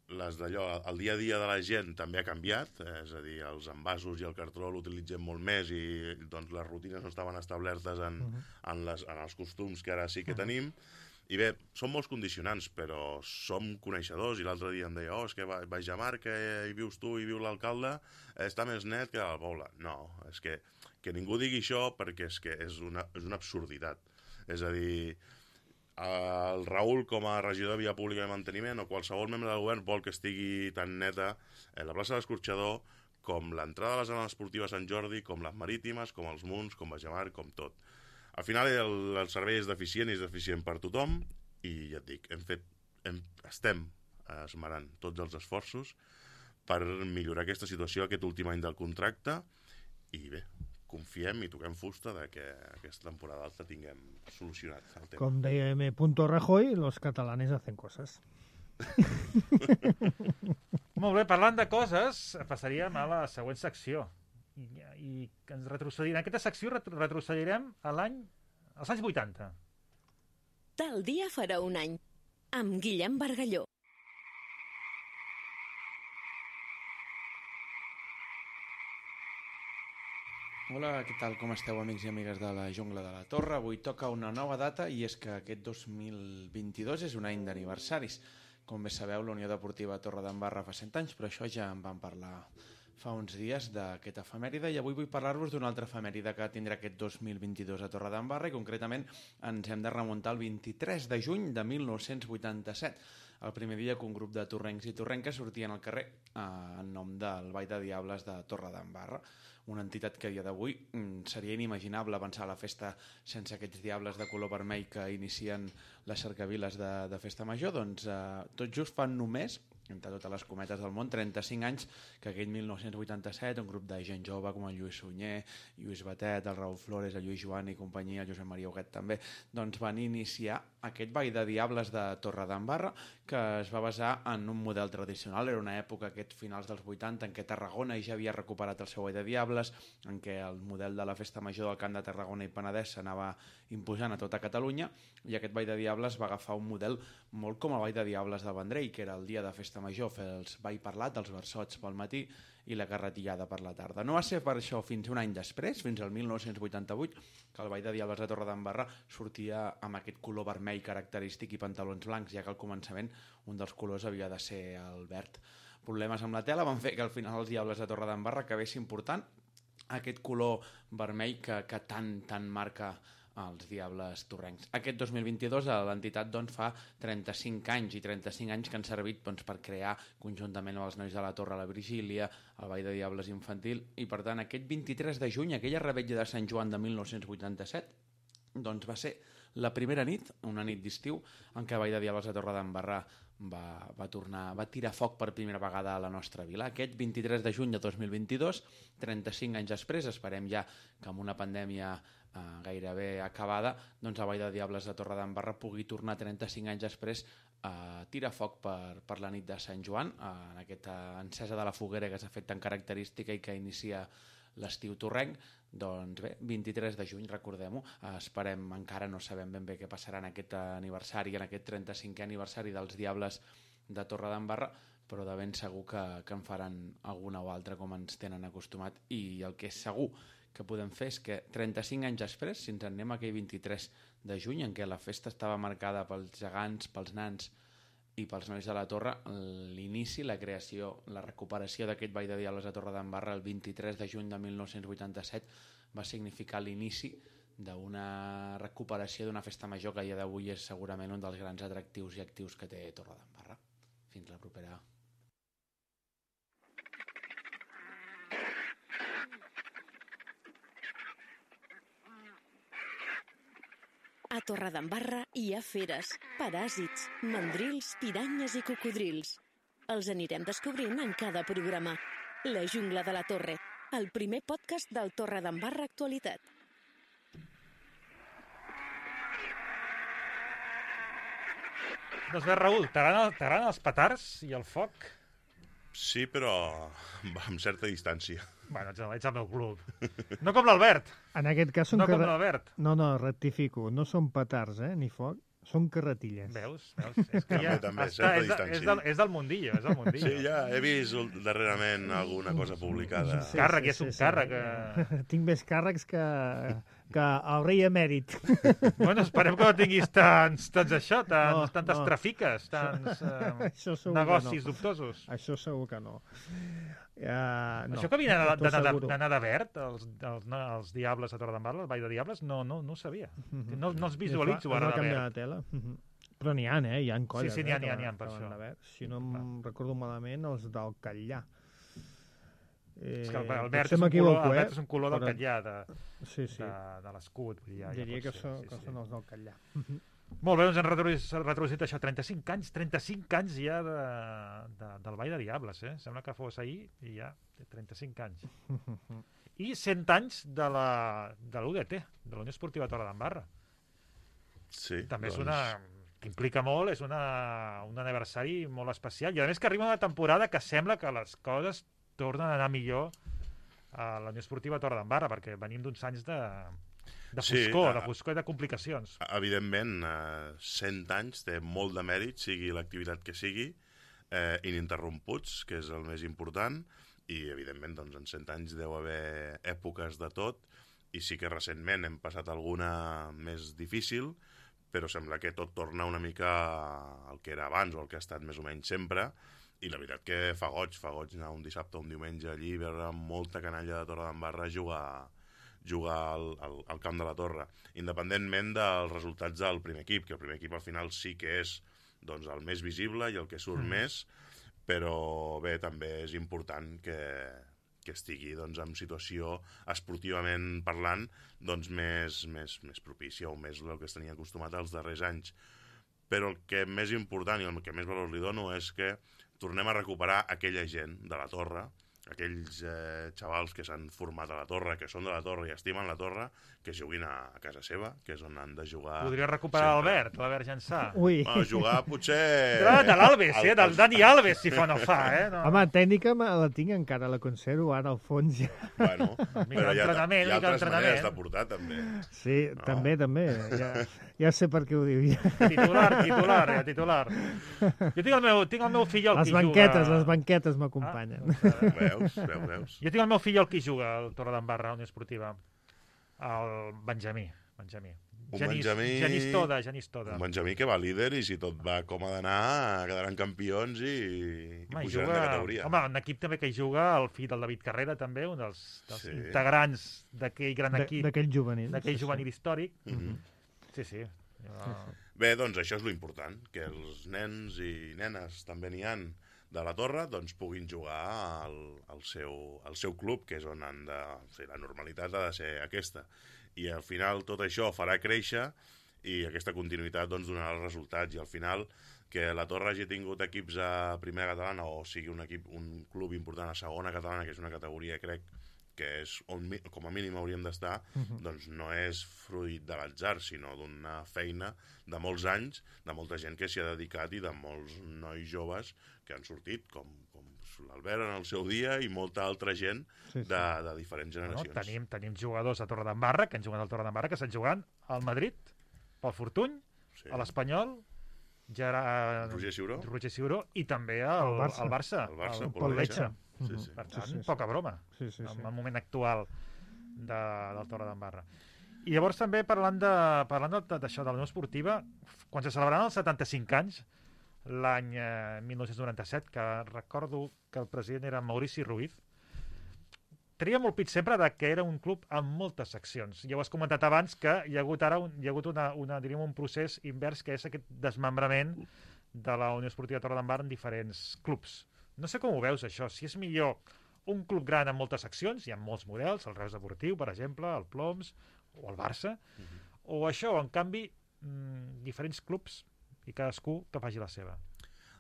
les d'allò, el dia a dia de la gent també ha canviat, eh, és a dir, els envasos i el cartró l'utilitzem molt més i doncs les rutines no estaven establertes en, uh -huh. en, les, en els costums que ara sí que uh -huh. tenim. I bé, són molts condicionants, però som coneixedors, i l'altre dia em deia, oh, és que vaig a Mar, que hi vius tu i viu l'alcalde, està més net que al poble. No, és que, que ningú digui això perquè és que és una, és una absurditat. És a dir, el Raül, com a regidor de Via Pública i Manteniment, o qualsevol membre del govern vol que estigui tan neta la plaça de l'Escorxador com l'entrada a la zona esportiva Sant Jordi, com les marítimes, com els Munts, com Bajamar, com tot. Al final el, el servei és deficient i és deficient per tothom, i ja et dic, hem fet, hem, estem esmerant tots els esforços per millorar aquesta situació aquest últim any del contracte, i bé, confiem i toquem fusta de que aquesta temporada alta tinguem solucionat el tema. Com deia M. Rajoy, los catalanes hacen coses. Molt bé, parlant de coses, passaríem a la següent secció. I, i ens retrocedirem. En aquesta secció retrocedirem a l'any, als anys vuitanta. Tal dia farà un any, amb Guillem Bargalló. Hola, què tal? Com esteu, amics i amigues de la Jungla de la Torre? Avui toca una nova data, i és que aquest dos mil vint-i-dos és un any d'aniversaris. Com bé sabeu, la Unió Deportiva Torredembarra fa cent anys, però això ja en vam parlar fa uns dies d'aquesta efemèride, i avui vull parlar-vos d'una altra efemèride que tindrà aquest dos mil vint-i-dos a Torredembarra, i concretament ens hem de remuntar al vint-i-tres de juny de mil nou-cents vuitanta-set, el primer dia que un grup de torrencs i torrenques sortien al carrer eh, en nom del Ball de Diables de Torredembarra, una entitat que a dia d'avui mm, seria inimaginable avançar la festa sense aquests diables de color vermell que inicien les cercaviles de, de Festa Major. Doncs eh, tot just fan només, entre totes les cometes del món, trenta-cinc anys que aquell mil nou-cents vuitanta-set un grup de gent jove com el Lluís Sunyer, Lluís Batet, el Raül Flores, el Lluís Joan i companyia, el Josep Maria Huguet també, doncs van iniciar aquest Ball de Diables de Torredembarra, que es va basar en un model tradicional. Era una època, aquests finals dels vuitanta, en què Tarragona ja havia recuperat el seu Ball de Diables, en què el model de la Festa Major del Camp de Tarragona i Penedès s'anava imposant a tota Catalunya, i aquest Ball de Diables va agafar un model molt com el Ball de Diables del Vendrell, que era el dia de Festa Major, fer els ball parlat, els versots pel matí i la carretillada per la tarda. No va ser per això fins un any després, fins al mil nou-cents vuitanta-vuit, que el Ball de Diables de Torredembarra sortia amb aquest color vermell característic i pantalons blancs, ja que al començament un dels colors havia de ser el verd. Problemes amb la tela van fer que al final els Diables de Torredembarra acabessin portant aquest color vermell que, que tant, tant marca els Diables torrencs. Aquest dos mil vint-i-dos l'entitat doncs, fa trenta-cinc anys, i trenta-cinc anys que han servit doncs, per crear conjuntament amb els nois de la Torre la Virgília, el Ball de Diables infantil, i per tant aquest vint-i-tres de juny, aquella revetlla de Sant Joan de mil nou-cents vuitanta-set, doncs va ser la primera nit, una nit d'estiu, en què Vall de Diables a Torredembarra va, va, tornar, va tirar foc per primera vegada a la nostra vila. Aquest vint-i-tres de juny de dos mil vint-i-dos, trenta-cinc anys després, esperem ja que amb una pandèmia eh, gairebé acabada, doncs a Vall de Diables de Torredembarra pugui tornar trenta-cinc anys després a tirar foc per, per la nit de Sant Joan, en aquesta encesa de la foguera que s'ha fet tan característica i que inicia l'estiu torrenc. Doncs bé, vint-i-tres de juny, recordem-ho, esperem, encara no sabem ben bé què passarà en aquest aniversari, en aquest trenta-cinquè aniversari dels Diables de Torredembarra, però de ben segur que, que en faran alguna o altra com ens tenen acostumat, i el que és segur que podem fer és que trenta-cinc anys després, si ens en anem a aquell vint-i-tres de juny, en què la festa estava marcada pels gegants, pels nans i pels nois de la Torre, l'inici, la creació, la recuperació d'aquest Vall de Diables a Torredembarra el vint-i-tres de juny de mil nou-cents vuitanta-set va significar l'inici d'una recuperació d'una festa major que a dia d'avui és segurament un dels grans atractius i actius que té Torredembarra. Fins la propera. A Torredembarra hi ha feres, paràsits, mandrils, piranyes i cocodrils. Els anirem descobrint en cada programa. La Jungla de la Torre, el primer podcast del Torredembarra Actualitat. Doncs bé, Raül, t'agraden els petards i el foc? Sí, però amb certa distància. Bueno, ets al meu club. No com l'Albert. En aquest cas són... No com carre... l'Albert. No, no, rectifico. No són petards, eh, ni foc. Són carretilles. Veus? Veus? És que ja també, està, és, és, del, és del mundillo, és del mundillo. Sí, ja he vist darrerament alguna cosa publicada. Sí, càrrec, sí, és un sí, càrrec. Sí. Que... Tinc més càrrecs que, que el rei emèrit. Bueno, esperem que no tinguis tants, tants això, tants, no, tantes no. trafiques, tants eh, negocis no. dubtosos. Això segur que no. Uh, no. Això que havia d'anar de verd, els, els, els Diables a Torredembarra, el Vall de Diables, no, no, no ho sabia. Mm-hmm. No, no els visualitzo ara de verd. De tela. Mm-hmm. Però n'hi ha, eh? Hi ha colles. Sí, sí, n'hi ha, n'hi ha, n'hi ha, per això. Si no em recordo malament, els del Catllà. Eh, és que el, el, verd és un color, el verd és un color del però... Catllà, de, sí, sí. de, de l'escut. Ja, Diria ja que, so, sí, que sí. són els del Catllà. Molt bé, doncs hem retroduït això, trenta-cinc anys, trenta-cinc anys ja de, de, del Vall de Diables, eh? Sembla que fos ahir i ja té trenta-cinc anys. I cent anys de la de l'U D T, de la Unió Esportiva Torredembarra. Sí, també doncs... és una... que implica molt, és una, un aniversari molt especial, i a més que arriba una temporada que sembla que les coses tornen a anar millor a la Unió Esportiva Torredembarra, perquè venim d'uns anys de... de foscor, sí, de foscor i de complicacions. Evidentment, eh, cent anys té molt de mèrit, sigui l'activitat que sigui, eh, ininterromputs, que és el més important, i evidentment doncs, en cent anys deu haver èpoques de tot, i sí que recentment hem passat alguna més difícil, però sembla que tot torna una mica al que era abans o al que ha estat més o menys sempre, i la veritat que fa goig, fa goig anar un dissabte o un diumenge allí, veure molta canalla de Torredembarra jugar jugar al, al, al camp de la Torre, independentment dels resultats del primer equip, que el primer equip al final sí que és doncs, el més visible i el que surt mm. més, però bé, també és important que, que estigui doncs, en situació esportivament parlant doncs, més, més, més propícia o més el que es tenia acostumat als darrers anys. Però el que més important i el que més valor li dono és que tornem a recuperar aquella gent de la Torre, aquells eh, xavals que s'han format a la Torre, que són de la Torre i estimen la Torre, que juguin a, a casa seva, que és on han de jugar. Podria recuperar l'Albert, l'Albert Jansà. Ui. Bueno, jugar potser... De, de l'Alves, eh? Del Dani Alves, si fa no fa, eh? No. Home, tècnica la tinc encara, la conservo ara al fons ja. Bueno, però hi ha, hi ha altres maneres de portar, també. Sí, no? també, també. Ja, ja sé per què ho diu. Ja. Titular, titular, ja, titular. Jo tinc el meu, tinc el meu fill el les qui banquetes, juga... Les banquetes m'acompanyen. Ah, veus, veus, veus. Jo tinc el meu fill el qui juga al Torredembarra, a la Unió Esportiva. El Benjamí. Benjamí. Un Genís, Benjamí... Genís Toda, Genís Toda. Un Benjamí que va líder i si tot va com ha d'anar quedaran campions i, i home, pujaran juga... de categoria. Home, un equip també que hi juga el fill del David Carrera també, un dels, dels sí. integrants d'aquell gran equip. D'aquell juvenil. D'aquell juvenil sí, històric. Mm -hmm. Sí, sí. Jo... Bé, doncs això és lo important, que els nens i nenes també n'hi han de la Torre, doncs puguin jugar al, al, seu, al seu club, que és on han de... O sigui, la normalitat ha de ser aquesta. I al final tot això farà créixer i aquesta continuïtat doncs, donarà els resultats, i al final que la Torre hagi tingut equips a primera catalana o sigui un equip, un club important a segona catalana, que és una categoria, crec, que és on com a mínim hauríem d'estar, uh-huh. doncs no és fruit de l'atzar, sinó d'una feina de molts anys, de molta gent que s'hi ha dedicat i de molts nois joves que han sortit, com, com l'Albert en el seu dia i molta altra gent sí, sí. De, de diferents generacions. No, tenim, tenim jugadors a Torredembarra, que han jugat al Torredembarra, que estan jugant al Madrid, pel Fortuny, sí. a l'Espanyol, Gerard... Roger Ciuró. Roger Ciuró, i també al Barça, al Barça, el Barça el Pol Letxa. Sí, sí. Per tant, sí, sí, sí. poca broma, sí, sí, sí. en el moment actual de, del Torredembarra. I llavors també parlant de parlant d'això, de la Unió Esportiva, quan se celebraran els setanta-cinc anys, l'any eh, mil nou-cents noranta-set, que recordo que el president era Maurici Ruiz, tenia molt pit sempre de que era un club amb moltes seccions. Ja ho has comentat abans, que hi ha hagut ara un, hi ha hagut una, una, diríem, un procés invers, que és aquest desmembrament de la Unió Esportiva Torredembarra en diferents clubs. No sé com ho veus, això. Si és millor un club gran amb moltes seccions, hi ha molts models, el Reus Deportiu, per exemple, el Ploms, o el Barça, uh-huh. o això, en canvi, mmm, diferents clubs i cadascú que faci la seva.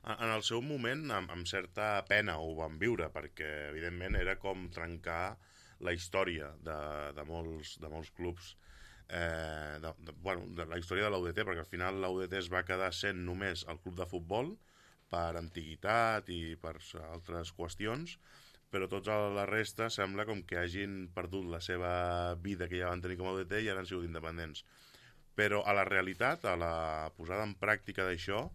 En el seu moment, amb, amb certa pena ho vam viure, perquè, evidentment, era com trencar la història de, de, molts, de molts clubs, eh, de, de, bueno, de la història de l'U D T, perquè al final l'U D T es va quedar sent només el club de futbol, per antiguitat i per altres qüestions, però tota la resta sembla com que hagin perdut la seva vida que ja van tenir com a U D T i ara han sigut independents. Però a la realitat, a la posada en pràctica d'això,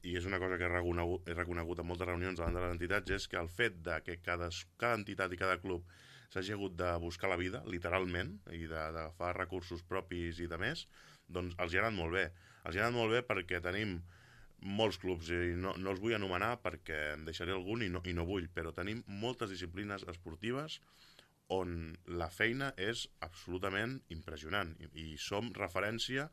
i és una cosa que he reconegut, he reconegut en moltes reunions davant de les entitats, és que el fet de que cada, cada entitat i cada club s'hagi hagut de buscar la vida, literalment, i d'agafar recursos propis i de més, doncs els hi ha anat molt bé. Els hi ha anat molt bé perquè tenim molts clubs, i no, no els vull anomenar perquè em deixaré algun i no, i no vull, però tenim moltes disciplines esportives on la feina és absolutament impressionant i, i som referència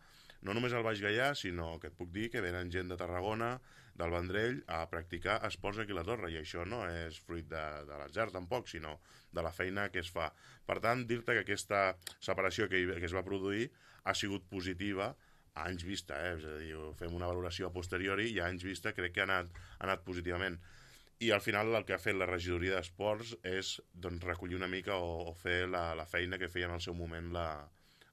no només al Baix Gaià, sinó que et puc dir que venen gent de Tarragona, del Vendrell, a practicar esports aquí a la Torre, i això no és fruit de, de l'atzar tampoc, sinó de la feina que es fa. Per tant, dir-te que aquesta separació que, que es va produir ha sigut positiva a anys vista, eh? És a dir, fem una valoració a posteriori i a anys vista crec que ha anat, ha anat positivament. I al final el que ha fet la regidoria d'esports és doncs, recollir una mica o, o fer la, la feina que feia en el seu moment la,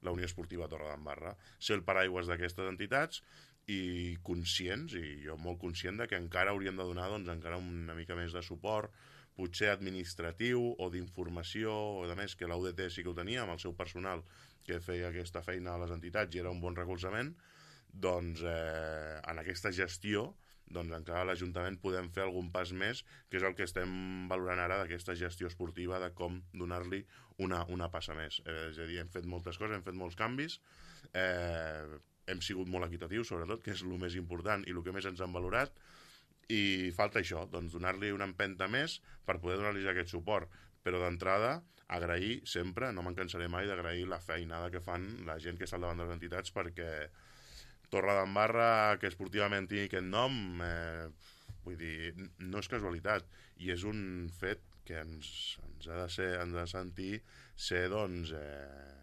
la Unió Esportiva Torredembarra. Ser el paraigües d'aquestes entitats i conscients, i jo molt conscient de que encara hauríem de donar doncs, encara una mica més de suport, potser administratiu o d'informació, o de més que l'U D T sí que ho tenia amb el seu personal que feia aquesta feina a les entitats i era un bon recolzament, doncs eh, en aquesta gestió doncs encara a l'Ajuntament podem fer algun pas més, que és el que estem valorant ara d'aquesta gestió esportiva, de com donar-li una, una passa més. Eh, és a dir, hem fet moltes coses, hem fet molts canvis, eh, hem sigut molt equitatius, sobretot, que és el més important i el que més ens han valorat, i falta això, doncs donar-li una empenta més per poder donar-li aquest suport. Però d'entrada, agrair sempre, no me'n cansaré mai d'agrair la feinada que fan la gent que està al davant de les entitats, perquè Torredembarra, que esportivament tingui aquest nom, eh, vull dir, no és casualitat, i és un fet que ens, ens ha de ser, ens ha de sentir ser, doncs, eh,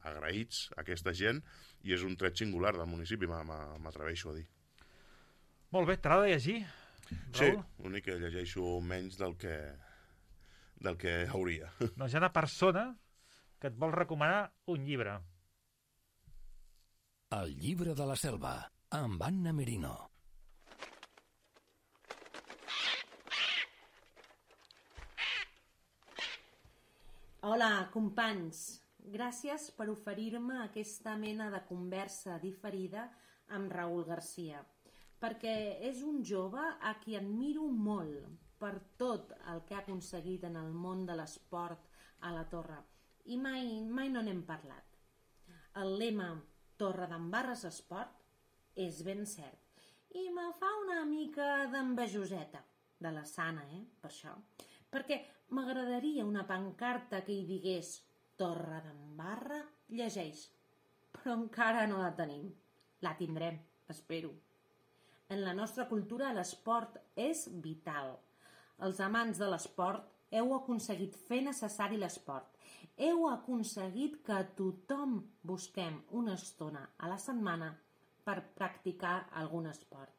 agraïts a aquesta gent, i és un tret singular del municipi, m'atreveixo a dir. Molt bé, t'agrada llegir, Raül? Sí, l'únic que llegeixo menys del que, del que hauria. Doncs hi ha una persona que et vol recomanar un llibre. El llibre de la selva, amb Anna Merino. Hola, companys. Gràcies per oferir-me aquesta mena de conversa diferida amb Raül Garcia, perquè és un jove a qui admiro molt per tot el que ha aconseguit en el món de l'esport a la Torre, i mai, mai no n'hem parlat. El lema Torredembarra Esport és ben cert, i me fa una mica d'envejoseta, de la sana, eh, per això, perquè m'agradaria una pancarta que hi digués Torredembarra llegeix, però encara no la tenim. La tindrem, espero. En la nostra cultura l'esport és vital. Els amants de l'esport heu aconseguit fer necessari l'esport. Heu aconseguit que tothom busquem una estona a la setmana per practicar algun esport.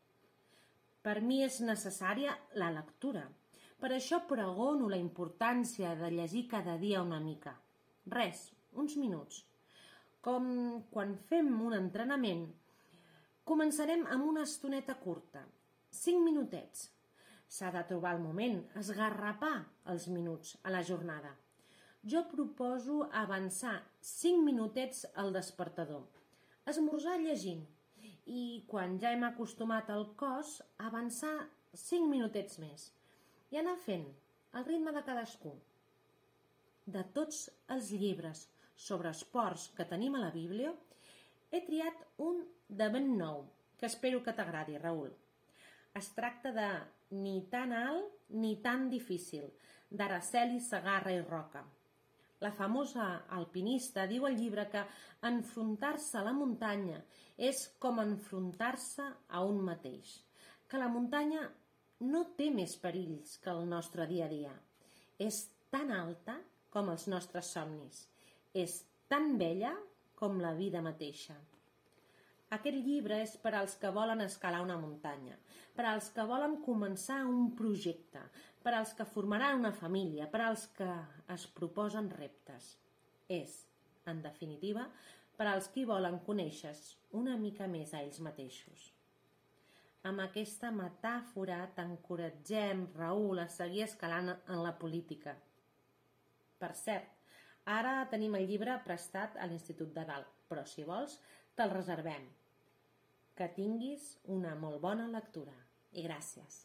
Per mi és necessària la lectura. Per això pregono la importància de llegir cada dia una mica. Res, uns minuts. Com quan fem un entrenament, començarem amb una estoneta curta, cinc minutets. S'ha de trobar el moment, esgarrapar els minuts a la jornada. Jo proposo avançar cinc minutets al despertador, esmorzar llegint i, quan ja hem acostumat al cos, avançar cinc minutets més i anar fent al ritme de cadascú. De tots els llibres sobre esports que tenim a la Bíblia, he triat un de ben nou, que espero que t'agradi, Raül. Es tracta de Ni tan alt ni tan difícil, d'Araceli Segarra i Roca. La famosa alpinista diu al llibre que enfrontar-se a la muntanya és com enfrontar-se a un mateix, que la muntanya no té més perills que el nostre dia a dia. És tan alta com els nostres somnis. És tan bella com la vida mateixa. Aquest llibre és per als que volen escalar una muntanya, per als que volen començar un projecte, per als que formaran una família, per als que es proposen reptes. És, en definitiva, per als qui volen conèixer una mica més a ells mateixos. Amb aquesta metàfora t'encoratgem, Raül, a seguir escalant en la política. Per cert, ara tenim el llibre prestat a l'Institut de Dalt, però si vols, te'l reservem. Que tinguis una molt bona lectura. I gràcies.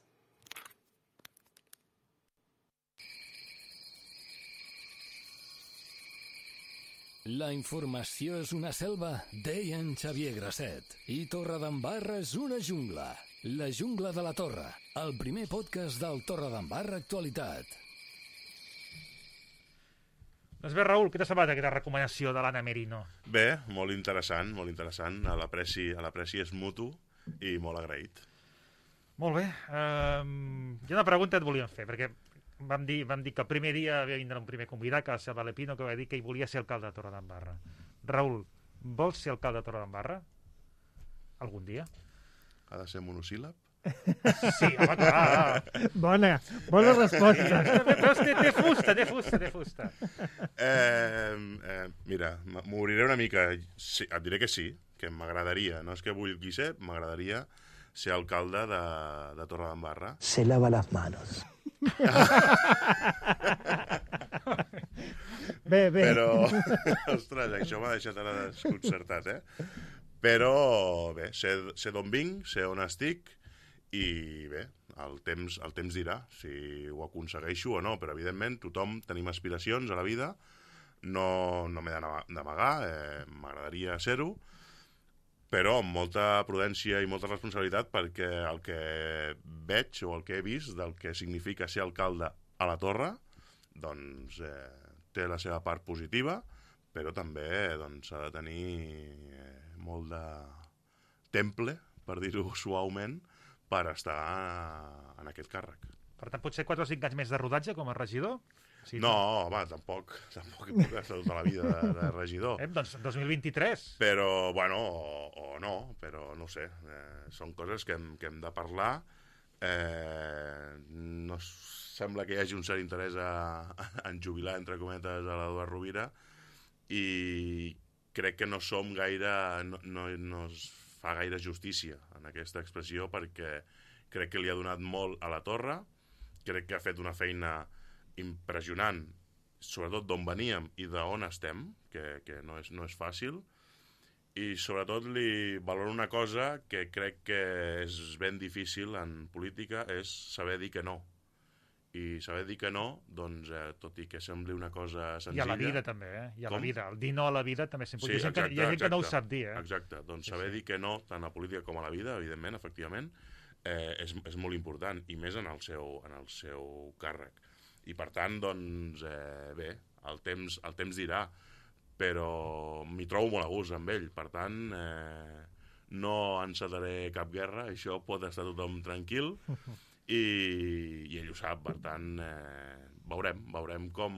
La informació és una selva, deia en Xavier Grasset. I Torredembarra és una jungla. La jungla de la Torre, el primer podcast del Torredembarra Actualitat. Doncs bé, Raül, què t'ha semblat aquesta recomanació de l'Anna Merino? Bé, molt interessant, molt interessant. A l'apreci, a l'apreci és mutu i molt agraït. Molt bé. Um, jo una pregunta et volíem fer, perquè vam dir, vam dir que el primer dia havia vindre un primer convidat, que va ser el Valepino, que va dir que ell volia ser alcalde de Torredembarra. Raül, vols ser alcalde de Torredembarra? Algun dia? Ha de ser monosíl·lab? Sí, home, clar. Bona, bona resposta. Però té, té fusta, té fusta, té fusta. Eh, eh, mira, m'obriré una mica. Sí, et diré que sí, que m'agradaria. No és que vulgui ser, m'agradaria ser alcalde de, de Torredembarra. Se lava las manos. Bé, bé. Però, ostres, això m'ha deixat ara desconcertat, eh? Però, bé, sé, sé d'on vinc, sé on estic, i bé, el temps, el temps dirà si ho aconsegueixo o no, però evidentment tothom tenim aspiracions a la vida, no, no m'he d'amagar, eh, m'agradaria ser-ho, però amb molta prudència i molta responsabilitat, perquè el que veig o el que he vist del que significa ser alcalde a la Torre, doncs eh, té la seva part positiva, però també doncs, ha de tenir eh, molt de temple, per dir-ho suaument, per estar en aquest càrrec. Per tant, potser quatre o cinc anys més de rodatge com a regidor? Sí, no, home, tampoc, tampoc he pogut estar tota la vida de, de regidor. Eh, doncs dos mil vint-i-tres. Però, bueno, o, o no, però no ho sé. Eh, són coses que hem, que hem de parlar. Eh, no sembla que hi hagi un cert interès a, a en jubilar, entre cometes, a l'Eduard Rovira, i crec que no som gaire... no, no, no es fa gaire justícia en aquesta expressió, perquè crec que li ha donat molt a la Torre, crec que ha fet una feina impressionant, sobretot d'on veníem i d'on estem, que, que no, és, no és fàcil, i sobretot li valoro una cosa que crec que és ben difícil en política, és saber dir que no. I saber dir que no, doncs, eh, tot i que sembli una cosa senzilla... I a la vida també, eh? I a Com? la vida. El dir no a la vida també sempre... Sí, hi ha gent, exacte, que, hi ha gent que no ho exacte. sap dir, eh? Exacte, doncs Sí, saber sí. dir que no, tant a la política com a la vida, evidentment, efectivament, eh, és, és molt important, i més en el seu, en el seu càrrec. I per tant, doncs, eh, bé, el temps, el temps dirà, però m'hi trobo molt a gust amb ell, per tant, eh, no encetaré cap guerra, això pot estar tothom tranquil, i, i ell ho sap, per tant, eh, veurem, veurem com,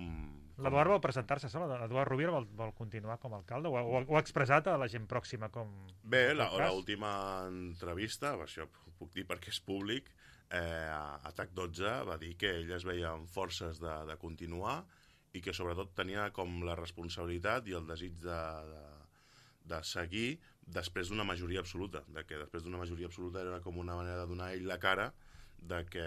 L'Eduard vol presentar-se sol? L'Eduard Rovira vol, vol continuar com a alcalde? O, o, o ha expressat a la gent pròxima com... Bé, l'última entrevista, això ho puc dir perquè és públic, eh, a T A C dotze va dir que ell es veia amb forces de, de continuar i que sobretot tenia com la responsabilitat i el desig de, de, de seguir després d'una majoria absoluta, de que després d'una majoria absoluta era com una manera de donar ell la cara de que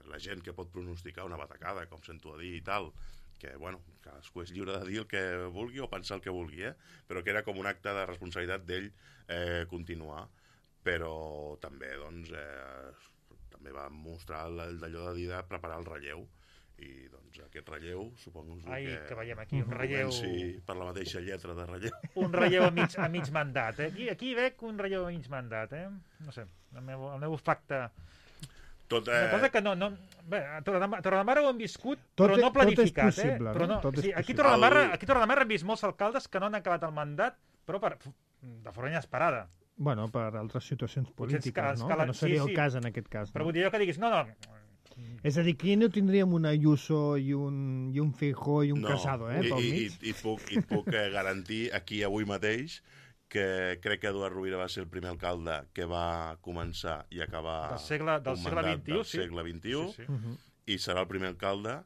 la gent que pot pronosticar una batacada, com sento a dir i tal, que, bueno, cadascú és lliure de dir el que vulgui o pensar el que vulgui, eh? Però que era com un acte de responsabilitat d'ell eh, continuar. Però també, doncs, eh, també va mostrar d'allò de dir de preparar el relleu. I, doncs, aquest relleu, suposo Ai, que... que veiem aquí, un relleu... Comenci per la mateixa lletra de relleu. Un relleu a mig, a mig mandat, eh? Aquí, aquí veig un relleu a mig mandat, eh? No sé, el meu, el meu facte... Tot, eh... Una cosa que no... no bé, a Torredembarra ho hem viscut, tot però no planificat, tot és possible, eh? Però no, tot és sí, aquí a possible. Torredembarra, aquí a Torredembarra hem vist molts alcaldes que no han acabat el mandat, però per, de forma inesperada. Bueno, per altres situacions polítiques, escala, no? escala, Que no seria sí, el sí. cas en aquest cas. Però No? vull dir jo que diguis, no, no... És a dir, aquí no tindríem un Ayuso i un, i un Feijóo i un no. Casado, eh, I, pel i, mig. i, i et puc, i et puc eh, garantir aquí avui mateix que crec que Eduard Rovira va ser el primer alcalde que va començar i acabar Del segle, del un segle mandat vint-i-u, del sí. segle vint-i-u, Sí, sí. Uh -huh. i serà el primer alcalde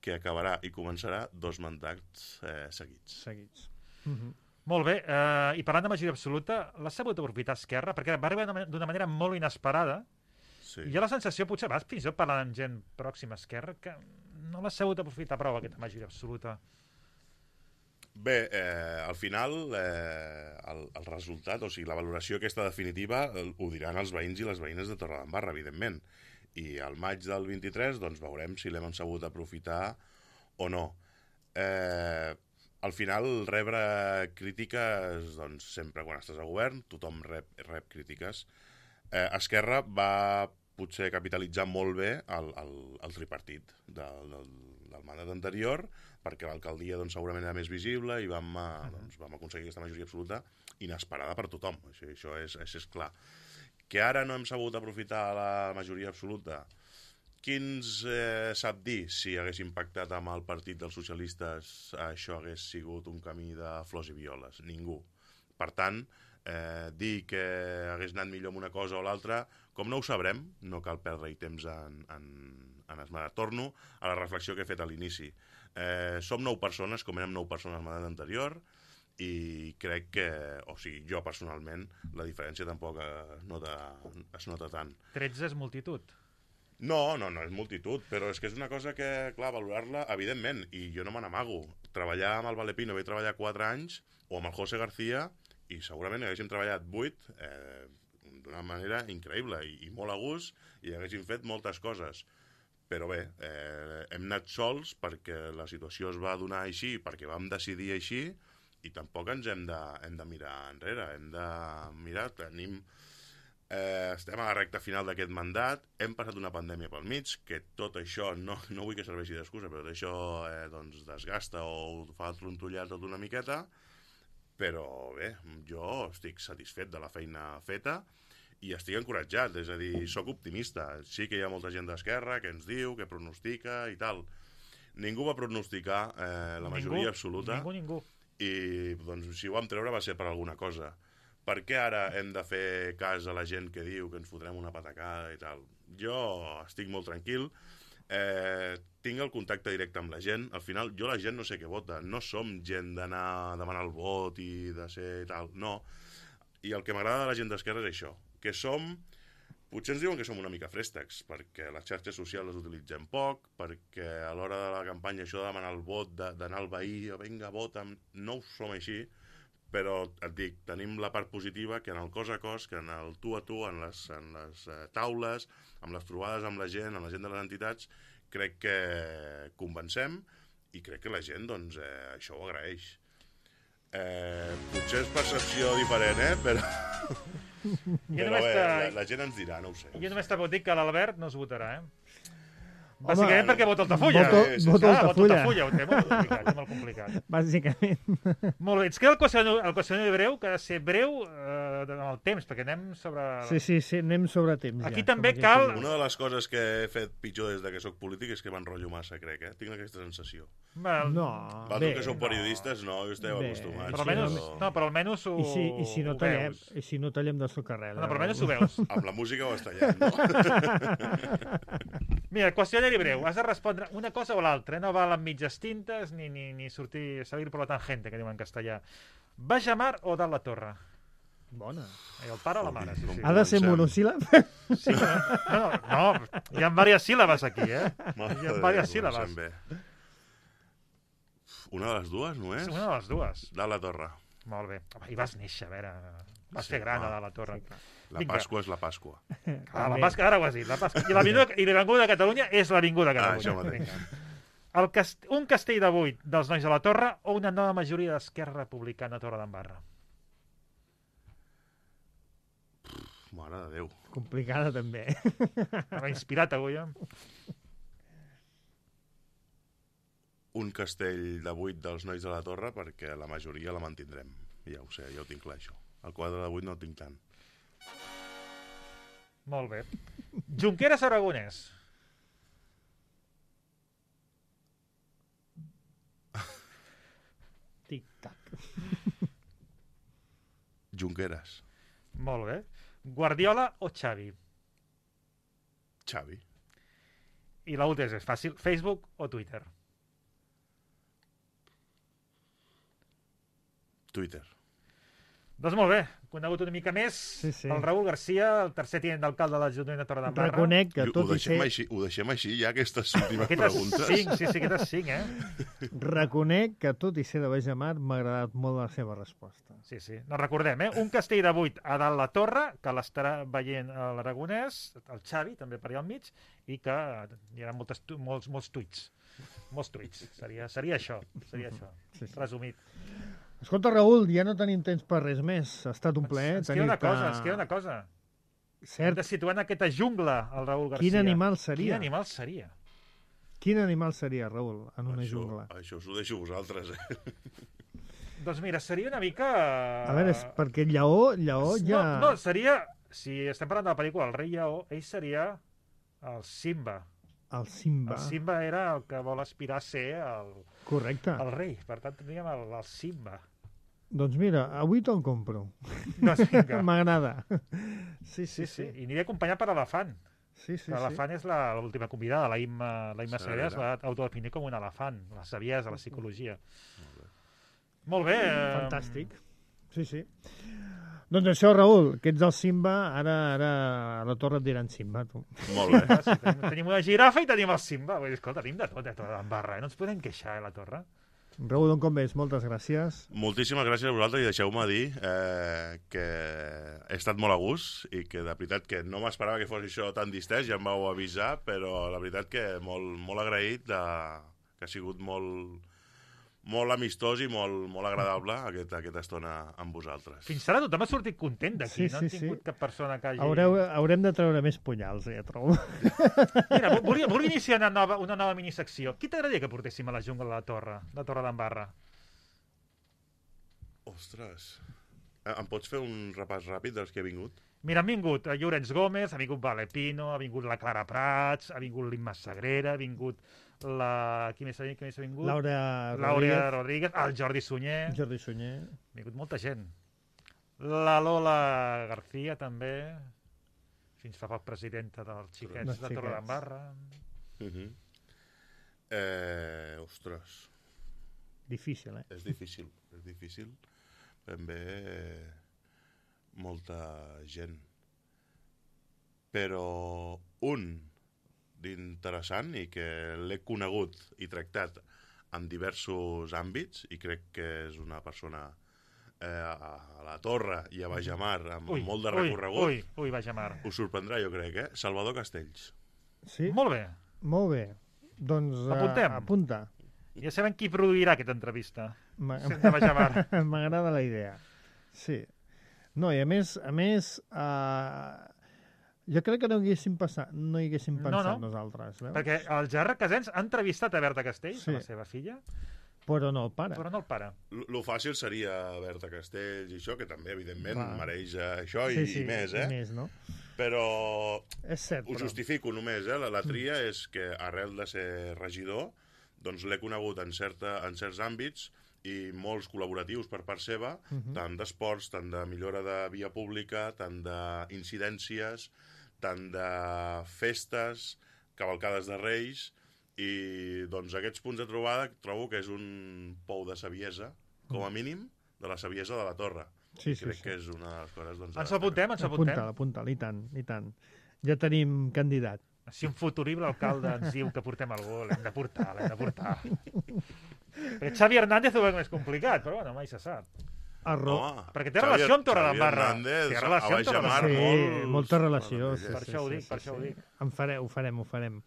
que acabarà i començarà dos mandats eh, seguits. Seguits. Uh -huh. Molt bé, eh, i parlant de majoria absoluta, l'ha sabut aprofitar Esquerra, perquè va arribar d'una manera molt inesperada, Sí. i hi ha la sensació, potser vas fins i tot parlant amb gent pròxima a Esquerra, que no l'ha sabut aprofitar prou, aquesta majoria absoluta. Bé, eh, al final eh, el, el resultat, o sigui, la valoració aquesta definitiva el, ho diran els veïns i les veïnes de Torredembarra, evidentment. I al maig del vint-i-tres doncs veurem si l'hem sabut aprofitar o no. Eh, al final, rebre crítiques, doncs sempre quan estàs a govern, tothom rep, rep crítiques. Eh, Esquerra va potser capitalitzar molt bé el, el, el tripartit del, del, del mandat anterior, perquè l'alcaldia doncs, segurament era més visible i vam, uh, doncs, vam aconseguir aquesta majoria absoluta inesperada per tothom. Això, això és, això és clar. Que ara no hem sabut aprofitar la majoria absoluta, qui ens eh, sap dir si hagués impactat amb el partit dels socialistes això hagués sigut un camí de flors i violes? Ningú. Per tant, eh, dir que hagués anat millor amb una cosa o l'altra, com no ho sabrem, no cal perdre-hi temps en, en, en esmerar. Torno a la reflexió que he fet a l'inici. Eh, som nou persones, com érem nou persones al mandat anterior, i crec que, o sigui, jo personalment, la diferència tampoc es nota, es nota tant. tretze és multitud. No, no, no és multitud, però és que és una cosa que, clar, valorar-la, evidentment, i jo no me n'amago. Treballar amb el Valepino, vaig treballar quatre anys, o amb el José García, i segurament haguéssim treballat vuit eh, d'una manera increïble i, i molt a gust, i haguéssim fet moltes coses. Però bé, eh, hem anat sols perquè la situació es va donar així, perquè vam decidir així, i tampoc ens hem de, hem de mirar enrere, hem de mirar, tenim... Eh, estem a la recta final d'aquest mandat, hem passat una pandèmia pel mig, que tot això, no, no vull que serveixi d'excusa, però tot això eh, doncs desgasta o fa trontollar tot una miqueta, però bé, jo estic satisfet de la feina feta i estic encoratjat, és a dir, sóc optimista. Sí que hi ha molta gent d'Esquerra que ens diu, que pronostica i tal. Ningú va pronosticar eh, la majoria ningú, absoluta. Ningú, ningú. I doncs, si ho vam treure va ser per alguna cosa. Per què ara hem de fer cas a la gent que diu que ens fotrem una patacada i tal? Jo estic molt tranquil, eh, tinc el contacte directe amb la gent. Al final, jo la gent no sé què vota, no som gent d'anar a demanar el vot i de ser tal, no. I el que m'agrada de la gent d'Esquerra és això, que som... Potser ens diuen que som una mica fréstecs, perquè les xarxes socials les utilitzem poc, perquè a l'hora de la campanya això de demanar el vot, d'anar al veí, o vinga, vota'm, no ho som així, però et dic, tenim la part positiva que en el cos a cos, que en el tu a tu, en les, en les eh, taules, amb les trobades amb la gent, amb la gent de les entitats, crec que convencem i crec que la gent doncs, eh, això ho agraeix. Eh, potser és percepció diferent, eh? Però, però bé, la, la gent ens dirà, no ho sé. Jo només te puc dir que l'Albert no es votarà, eh? Bàsicament perquè vota Altafulla. Voto, Sí, sí, sí. voto Ah, vota Altafulla. Altafulla, ho té molt complicat, molt complicat. Bàsicament. Molt bé, ens queda el qüestionari, el qüestionari breu, que ha de ser breu eh, en el temps, perquè anem sobre... Sí, sí, sí, anem sobre temps. Aquí ja, també com cal- aquí Una de les coses que he fet pitjor des de que sóc polític és que m'enrotllo massa, crec, eh? Tinc aquesta sensació. Well, No, Vosaltres bé. que sou periodistes, no, jo esteu Bé, acostumats. Però sí, almenys, però- no, però almenys ho, I si, i si no ho tallem, veus. i si no tallem de socarrel. No, però almenys ho veus. Amb la música ho està tallant, no? Mira, qüestionari breu. Has de respondre una cosa o l'altra. Eh? No val amb mitges tintes ni, ni, ni sortir, salir por la tangente, que diuen en castellà. Baix a mar o dalt la torre? Bona. I el pare o la mare, sí, sí. Ha de ser Comencem. monosíl·lab? Sí, no, no, no, hi ha diverses síl·labes aquí, eh? Mare Hi ha de diverses Déu, síl·labes. comencem bé. Una de les dues, no és? És una de les dues. Dalt la torre. Molt bé. Home, I vas néixer, a veure... Vas Sí, fer gran home. a dalt la torre. La Vinga. Pasqua és la Pasqua. Ah, la Pasqua, ara ho has dit. La Pasqua. I l'Avinguda i l'Avinguda de Catalunya és l'Avinguda de Ah, Catalunya. això mateix. Vinga. El cast... Un castell de vuit dels nois de la Torre o una nova majoria d'Esquerra Republicana a Torre d'Embarra? Mare de Déu. Complicada, també. M'ha inspirat avui, eh? Un castell de vuit dels nois de la torre perquè la majoria la mantindrem. Ja ho sé, ja ho tinc clar, això. El quadre de vuit no el tinc tant. Molt bé. Junqueras Aragonès. Tic-tac. Junqueras. Molt bé. Guardiola o Xavi? Xavi. I l'última és fàcil. Facebook o Twitter? Twitter. Doncs molt bé. Conegut una mica més Sí, sí. el Raül Garcia, el tercer tinent d'alcalde de l'Ajuntament de Torre d'Embarra. Reconec que Ho, tot i deixem ser... així, ho deixem així, ja, aquestes últimes Aquestes preguntes. cinc, sí, sí, aquestes cinc, eh? Reconec que tot i ser de Baix de Mar m'ha agradat molt la seva resposta. Sí, sí. No recordem, eh? Un castell de vuit a dalt la torre, que l'estarà veient a l'Aragonès, el Xavi, també per allà al mig, i que hi ha moltes, tu- molts, molts tuits. Molts tuits. Seria, seria això. Seria això. Sí, sí. Resumit. Escolta, Raül, ja no tenim temps per res més. Ha estat un plaer. Ens queda una cosa, ens queda una cosa. Hem Cert. de situar en aquesta jungla el Raül Garcia. Quin animal seria? Quin animal seria? Quin animal seria, Raül, en una això, jungla? Això us ho deixo a vosaltres, eh? Doncs mira, seria una mica... A veure, és perquè el lleó, lleó ja... No, no, seria... Si estem parlant de la pel·lícula El rei lleó, ell seria el Simba. El Simba. El Simba era el que vol aspirar a ser el, Correcte. el rei. Per tant, tindríem el, el Simba. Doncs mira, avui te'l compro. Doncs vinga. M'agrada. Sí, Sí, sí, sí. sí. I aniré acompanyat per elefant. Sí, sí, sí. L'elefant és la- l'última convidada. La Imma, la Imma Sagrera. Sagrera es va autodefinir com un elefant. La saviesa, la psicologia. Molt bé. eh, Fantàstic. Sí, sí. Doncs això, Raül, que ets el Simba, ara, ara a la torre et diran Simba, tu. Molt bé. Ah, sí, tenim, tenim una girafa i tenim el Simba. Vull dir, escolta, tenim de tot, eh, Torre d'Embarra. Eh? No ens podem queixar, eh, la torre. Raül, d'on com ves? Moltes gràcies. Moltíssimes gràcies a vosaltres i deixeu-me dir eh, que he estat molt a gust i que de veritat que no m'esperava que fos això tan distès, ja em vau avisar, però la veritat que molt, molt agraït de, que ha sigut molt, molt amistós i molt, molt agradable aquesta, aquesta estona amb vosaltres. Fins ara tothom ha sortit content d'aquí. Sí, no sí, han tingut sí. cap persona que hagi... Haureu, haurem de treure més punyals, eh, trobo. Mira, volia, volia iniciar una nova, una nova minisecció. Qui t'agradaria que portéssim a la jungla de la Torre, de Torre d'Embarra? Ostres. Eh, Em pots fer un repàs ràpid dels que he vingut? Mira, han vingut a Llorenç Gómez, ha vingut Valepino, ha vingut la Clara Prats, ha vingut l'Imma Sagrera, ha vingut la... Qui més ha, qui més ha vingut? Laura Laura Rodríguez, Rodríguez, el Jordi Sunyer. Jordi Sunyer. Ha vingut molta gent. La Lola García, també. Fins fa poc presidenta dels xiquets Dels de Torre xiquets. d'Embarra. Uh -huh. eh, ostres, Difícil, eh? és difícil, és difícil. Ben bé, eh, molta gent. Però un d'interessant i que l'he conegut i tractat en diversos àmbits i crec que és una persona eh, a la Torre i a Bajamar amb Ui, molt de ui, recorregut. Ui, ui, Bajamar. Us sorprendrà, jo crec, eh? Salvador Castells. Sí? Molt bé. Molt bé. Doncs eh, Apuntem. apunta. Ja sabem qui produirà aquesta entrevista. M'a- Sent de Bajamar. M'agrada la idea. Sí. No, i a més, a més eh, Jo crec que no hi haguéssim, passat, no hi haguéssim pensat no, no. nosaltres. Veus? Perquè el Gerard Casens ha entrevistat a Berta Castells, Sí. la seva filla, Però no el pare. però no el pare. L- Lo fàcil seria Berta Castells i això, que també, evidentment, Va. mereix eh, això i, sí, sí, i més, eh? I més, no? Però És cert, ho però... justifico només, eh? La, la tria és que arrel de ser regidor, doncs l'he conegut en, certa, en certs àmbits i molts col·laboratius per part seva, Uh -huh. tant d'esports, tant de millora de via pública, tant d'incidències, tant de festes, cavalcades de Reis, i doncs aquests punts de trobada trobo que és un pou de saviesa, com a mínim, de la saviesa de la Torre. Sí, sí, Crec sí. que és una de les coses... Doncs, Ens ho apuntem, ens ho apuntem. Apunta-la, apunta-la, i tant, i tant. Ja tenim candidat. Si un futurible alcalde ens diu que portem algú, l'hem de portar, l'hem de portar. Perquè Xavi Hernández ho veu més complicat, però bueno, mai se sap. Arro... Home, Perquè té Xavi- relació amb Xavi Torredembarra. Hernández, Té relació a amb Baixamar, Torredembarra. Sí, molts- molta relació. Sí, Per sí, això ho sí, dic, sí, per això ho sí. dic. En farem, ho farem, ho farem.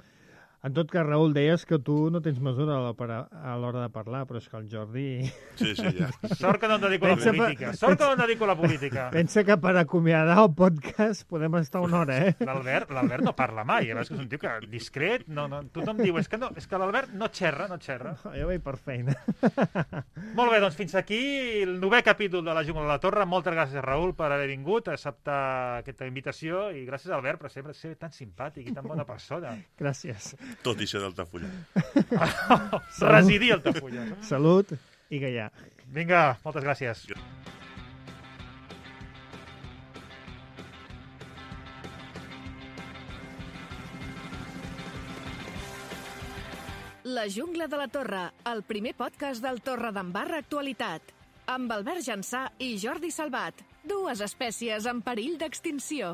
En tot cas, Raül, deies que tu no tens mesura a la para- a l'hora de parlar, però és que el Jordi... Sí, sí, ja. Sort que no em dedico a la Pensa- política. Sort que no em dedico a la política. Pensa que per acomiadar el podcast podem estar una hora, eh? L'Albert l'Albert no parla mai. A veure, és que és un tio que discret, no, no, tothom diu, és que, no, és que l'Albert no xerra, no xerra. Jo vaig per feina. Molt bé, doncs fins aquí el novè capítol de la Jungla de la Torre. Moltes gràcies, Raül, per haver vingut, a acceptar aquesta invitació, i gràcies, Albert, per sempre ser tan simpàtic i tan bona persona. Gràcies. Tot i ser d'Altafulla. Residir a Altafulla. Salut i gallà. Vinga, moltes gràcies. La Jungla de la Torre, el primer podcast del Torredembarra Actualitat. Amb Albert Jansà i Jordi Salvat, dues espècies en perill d'extinció.